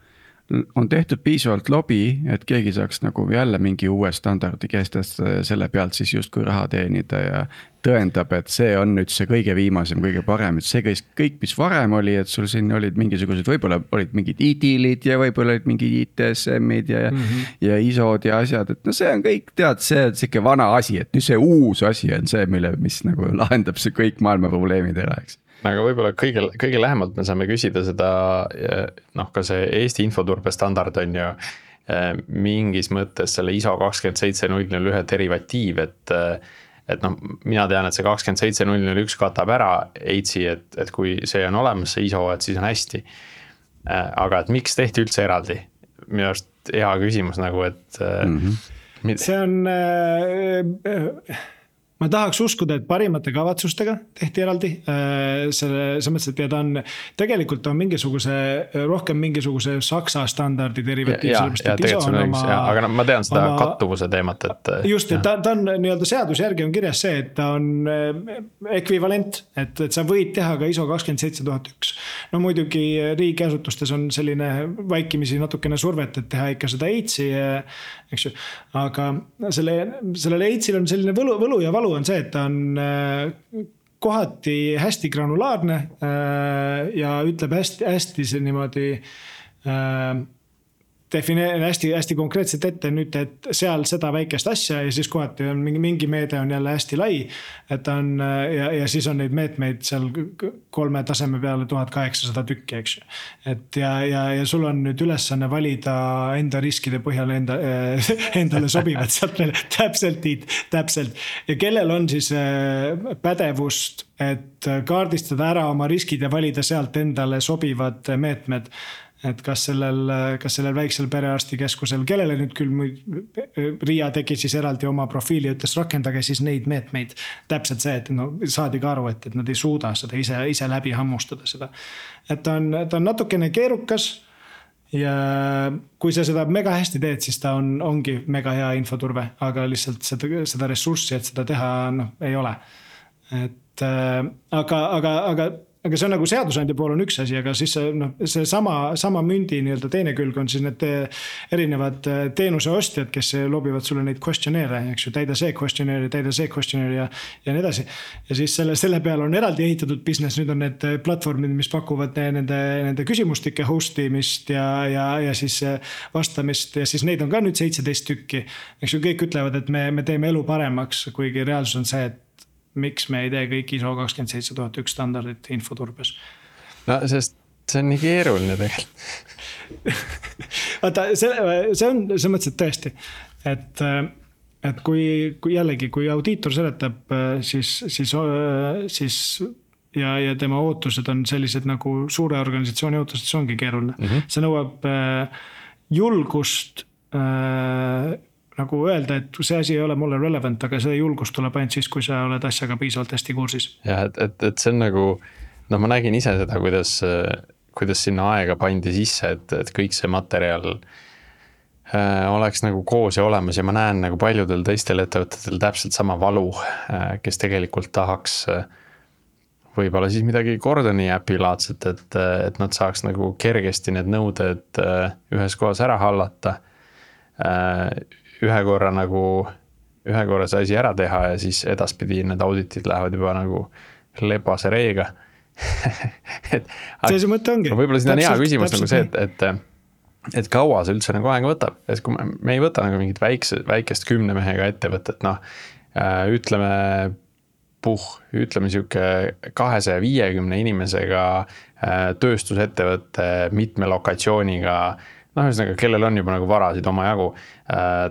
on tehtud piisavalt lobi, et keegi saaks nagu jälle mingi uue standardi kehtestada ja selle pealt siis justkui raha teenida ja tõendab, et see on nüüd see kõige viimasem, kõige parem, et see kõik, mis varem oli, et sul siin olid mingisugused, võib-olla olid mingid ITIL-id ja võib-olla olid mingid ITSM-id ja ISO-d ja asjad, et see on kõik, tead, see on siuke vana asi, et nüüd see uus asi on see, mis nagu lahendab see kõik maailma probleemid ära, eks. Aga võib-olla kõige lähemalt me saame küsida seda, ka see Eesti infoturbe standard on ju mingis mõttes selle ISO 27001 derivatiiv, et mina tean, et see 27001 katab ära EITSi, et kui see on olemas, see ISO, et siis on hästi. Aga et miks tehti üldse eraldi? Minu arust hea küsimus nagu, et see on ma tahaks uskuda, et parimate kavatsustega tehti eraldi. Selles mõttes, et ta on tegelikult on rohkem mingisuguse Saksa standardi derivatiiv. Aga ma tean seda kattuvuse teemat. Just, et ta on nii-öelda seaduse järgi on kirjas see, et ta on ekvivalent, et sa võid teha ka ISO 27001. No muidugi riigiasutustes on selline vaikimisi natukene survet, et teha ikka seda EITSi, eks ju. Aga sellele EITSil on selline võlu ja valu on see, et ta on kohati hästi granulaarne ja ütleb hästi see niimoodi hästi konkreetselt ette nüüd, et seal seda väikest asja ja siis kohati on mingi meede on jälle hästi lai, et on, ja siis on neid meetmeid seal 3 taseme peale 1800 tükki, eks ju. Et ja sul on nüüd ülesanne valida enda riskide põhjal endale sobivad sealt veel täpselt. Ja kellel on siis pädevust, et kaardistada ära oma riskid ja valida sealt endale sobivad meetmed. Et kas sellel väiksel perearstikeskusel, kellele nüüd küll Riia tegi siis eraldi oma profiili, ütles rakendage siis neid meetmeid. Täpselt see, et saadi ka aru, et nad ei suuda seda ise läbi hammustada seda. Et ta on natukene keerukas ja kui sa seda mega hästi teed, siis ta ongi mega hea infoturve, aga lihtsalt seda ressurssi, et seda teha ei ole. Et, aga aga see on nagu seadusandja pool on üks asi, aga siis see sama mündi nii-öelda teine külg on siis need erinevad teenuse ostjad, kes lobivad sulle neid questionnaire, eks ju, täida see questionnaire ja nii edasi. Ja siis selle peale on eraldi ehitatud business, nüüd on need platvormid, mis pakuvad nende küsimustike hostimist ja siis vastamist ja siis neid on ka nüüd 17 tükki. Eks ju, kõik ütlevad, et me teeme elu paremaks, kuigi reaalsus on see, et miks me ei tee kõik ISO 27001 standardit infoturbes? No, sest see on nii keeruline tegelikult. Vaata, see on mõttes, et tõesti, et kui jällegi, kui audiitor seletab, siis ja tema ootused on sellised nagu suure organisatsiooni ootused, see ongi keeruline. See nõuab julgust nagu öelda, et see asi ei ole mulle relevant, aga see julgus tuleb ainult siis, kui sa oled asjaga piisavalt hästi kursis. Ja, et see on nagu, ma nägin ise seda, kuidas sinna aega pandi sisse, et kõik see materjal oleks nagu koos ja olemas ja ma näen nagu paljudel teistel ettevõtetel täpselt sama valu, kes tegelikult tahaks võib-olla siis midagi Gordoni äpi laadset, et nad saaks nagu kergesti need nõuded ühes kohas ära hallata, ühe korra see asi ära teha ja siis edaspidi need auditid lähevad juba nagu lebase reega. See mõte ongi. Võib-olla siin on hea küsimus nagu see, et kaua see üldse nagu aega võtab. Et kui me ei võta nagu mingit väikest 10 mehega ettevõtet, ütleme siuke 250 inimesega tööstusettevõtte mitme lokatsiooniga, ühesõnaga, kellel on juba nagu varasid oma jagu,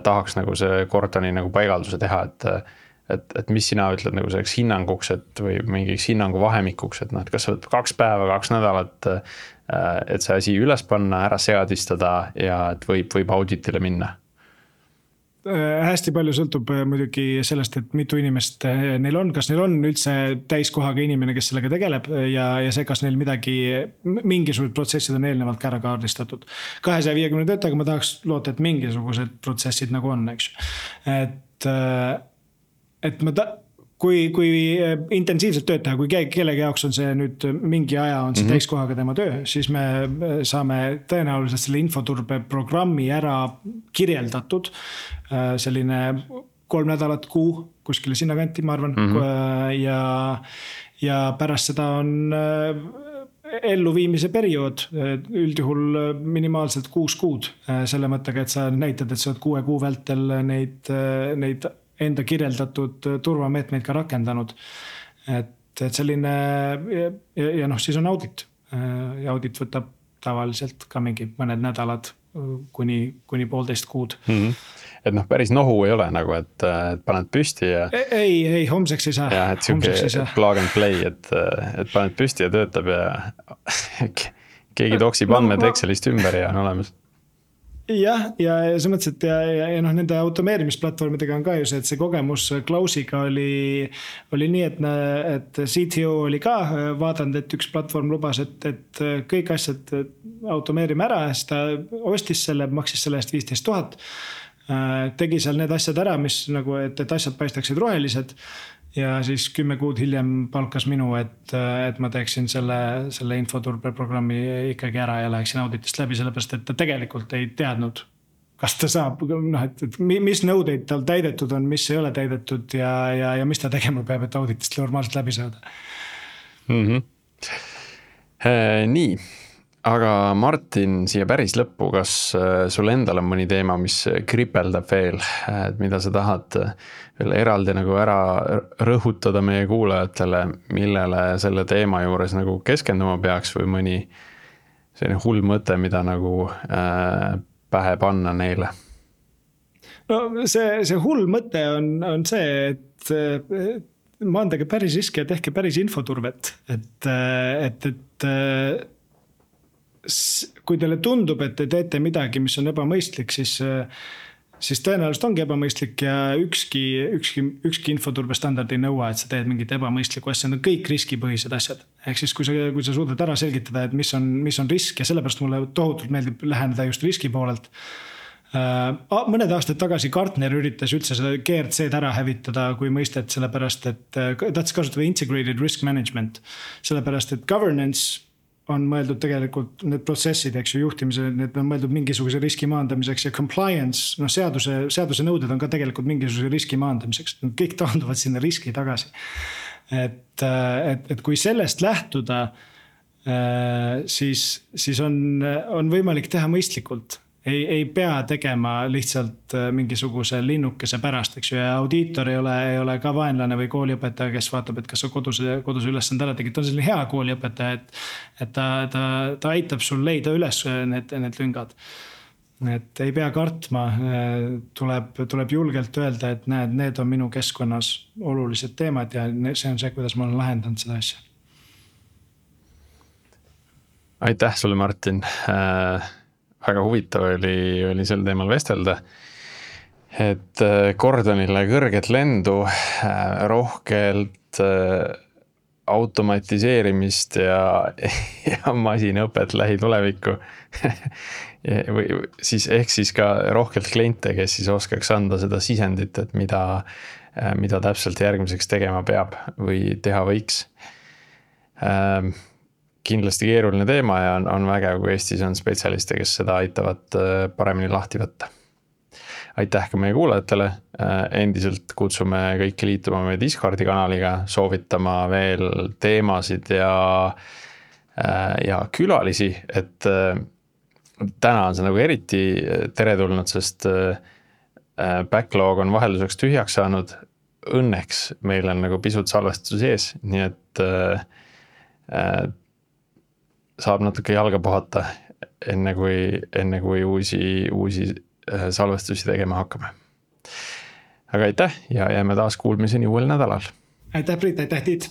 tahaks nagu see Gordoni nagu paigalduse teha, et mis sina ütled nagu selleks hinnanguks, või mingiks hinnangu vahemikuks, et kas sa võtab 2 päeva, 2 nädalat, et see asi üles panna, ära seadistada ja et võib auditile minna? Hästi palju sõltub muidugi sellest, et mitu inimest neil on, kas neil on üldse täiskohaga inimene, kes sellega tegeleb ja see, kas neil mingisugused protsessid on eelnevalt ka ära kaardistatud. 250 töötajaga ma tahaks loota, et mingisugused protsessid nagu on, eks. Kui intensiivselt tööd teha, kui kellegi jaoks on see nüüd mingi aja on see täiskohaga tema töö, siis me saame tõenäoliselt selle infoturbe programmi ära kirjeldatud. Selline 3 nädalat kuu kuskile sinna kanti, ma arvan. Ja pärast seda on elluviimise periood, üldjuhul minimaalselt 6 kuud. Selle mõttega, et sa näitad, et sa oled 6 kuu vältel neid enda kirjeldatud turvameetmeid ka rakendanud. Et selline, ja siis on audit. Ja audit võtab tavaliselt ka mingi mõned nädalad kuni 1,5 kuud. Et päris nohu ei ole nagu, et paned püsti ja... Ei, homseks ei saa. Ja, et siuke plug and play, et paned püsti ja töötab ja keegi toksib andmed Excelist ümber ja on olemas. Ja see mõttes, et nende automeerimisplatvormidega on ka ju see, et see kogemus Klausiga oli nii, et CTO oli ka vaadanud, et üks platvorm lubas, et kõik asjad automeerime ära, siis ta ostis selle, maksis selle eest 15 000, tegi seal need asjad ära, mis nagu, et asjad paistaksid rohelised ja siis 10 kuud hiljem palkas minu, et ma teeksin selle infoturbe programmi ikkagi ära ja läheksin auditist läbi, sellepärast, et ta tegelikult ei teadnud, kas ta saab, et mis nõudeid tal täidetud on, mis ei ole täidetud ja mis ta tegema peab, et auditist normaalselt läbi saada. Nii, aga Martin, siia päris lõppu, kas sul endal on mõni teema, mis kripeldab veel, et mida sa tahad veel eraldi nagu ära rõhutada meie kuulajatele, millele selle teema juures nagu keskenduma peaks või mõni selline hull mõte, mida nagu pähe panna neile? No see hull mõte on see, et maandage päris riski ja tehke päris infoturvet, et kui teile tundub, et te teete midagi, mis on ebamõistlik, siis tõenäoliselt ongi ebamõistlik ja ükski infoturbe standard ei nõua, et sa teed mingit ebamõistlikku asja, need on kõik riskipõhised asjad. Ehk siis, kui sa suudad ära selgitada, et mis on risk ja sellepärast mulle tohutult meeldib läheneda just riski poolelt, Mõned aastad tagasi Gartner üritas üldse seda GRC-d ära hävitada kui mõistet, sellepärast et tahtis kasutada integrated risk management. Sellepärast et governance on mõeldud tegelikult need protsessid, eks ju, juhtimise, need on mõeldud mingisuguse riski maandamiseks ja compliance, seaduse nõuded on ka tegelikult mingisuguse riski maandamiseks. Kõik taanduvad sinna riski tagasi. Et kui sellest lähtuda, siis on võimalik teha mõistlikult. Ei pea tegema lihtsalt mingisuguse linnukese pärast, eks ju, ja audiitor ei ole ka vaenlane või kooliõpetaja, kes vaatab, et kas sa koduse ülesande ära tegid. Ta on selline hea kooliõpetaja, et ta aitab sul leida üles need lüngad. Et ei pea kartma, tuleb julgelt öelda, et need on minu keskkonnas olulised teemad ja see on see, kuidas ma olen lahendanud seda asja. Aitäh sulle, Martin. Väga huvitav oli sel teemal vestelda, et Gordonile kõrget lendu, rohkelt automatiseerimist ja masinõpet lähitulevikku. Ehk siis ka rohkelt kliente, kes siis oskaks anda seda sisendit, et mida täpselt järgmiseks tegema peab või teha võiks. Kindlasti keeruline teema ja on vägev, kui Eestis on spetsialiste, kes seda aitavad paremini lahti võtta. Aitäh ka meie kuulajatele. Endiselt kutsume kõiki liituma meie Discordi kanaliga, soovitama veel teemasid ja külalisi, et täna on see nagu eriti teretulnud, sest backlog on vahelduseks tühjaks saanud. Õnneks meil on nagu pisut salvestus ees, nii et saab natuke jalga puhata enne kui uusi salvestusi tegema hakkame. Aga aitäh ja jääme taas kuulmiseni uuel nädalal. Aitäh, Priit, aitäh, Tiit!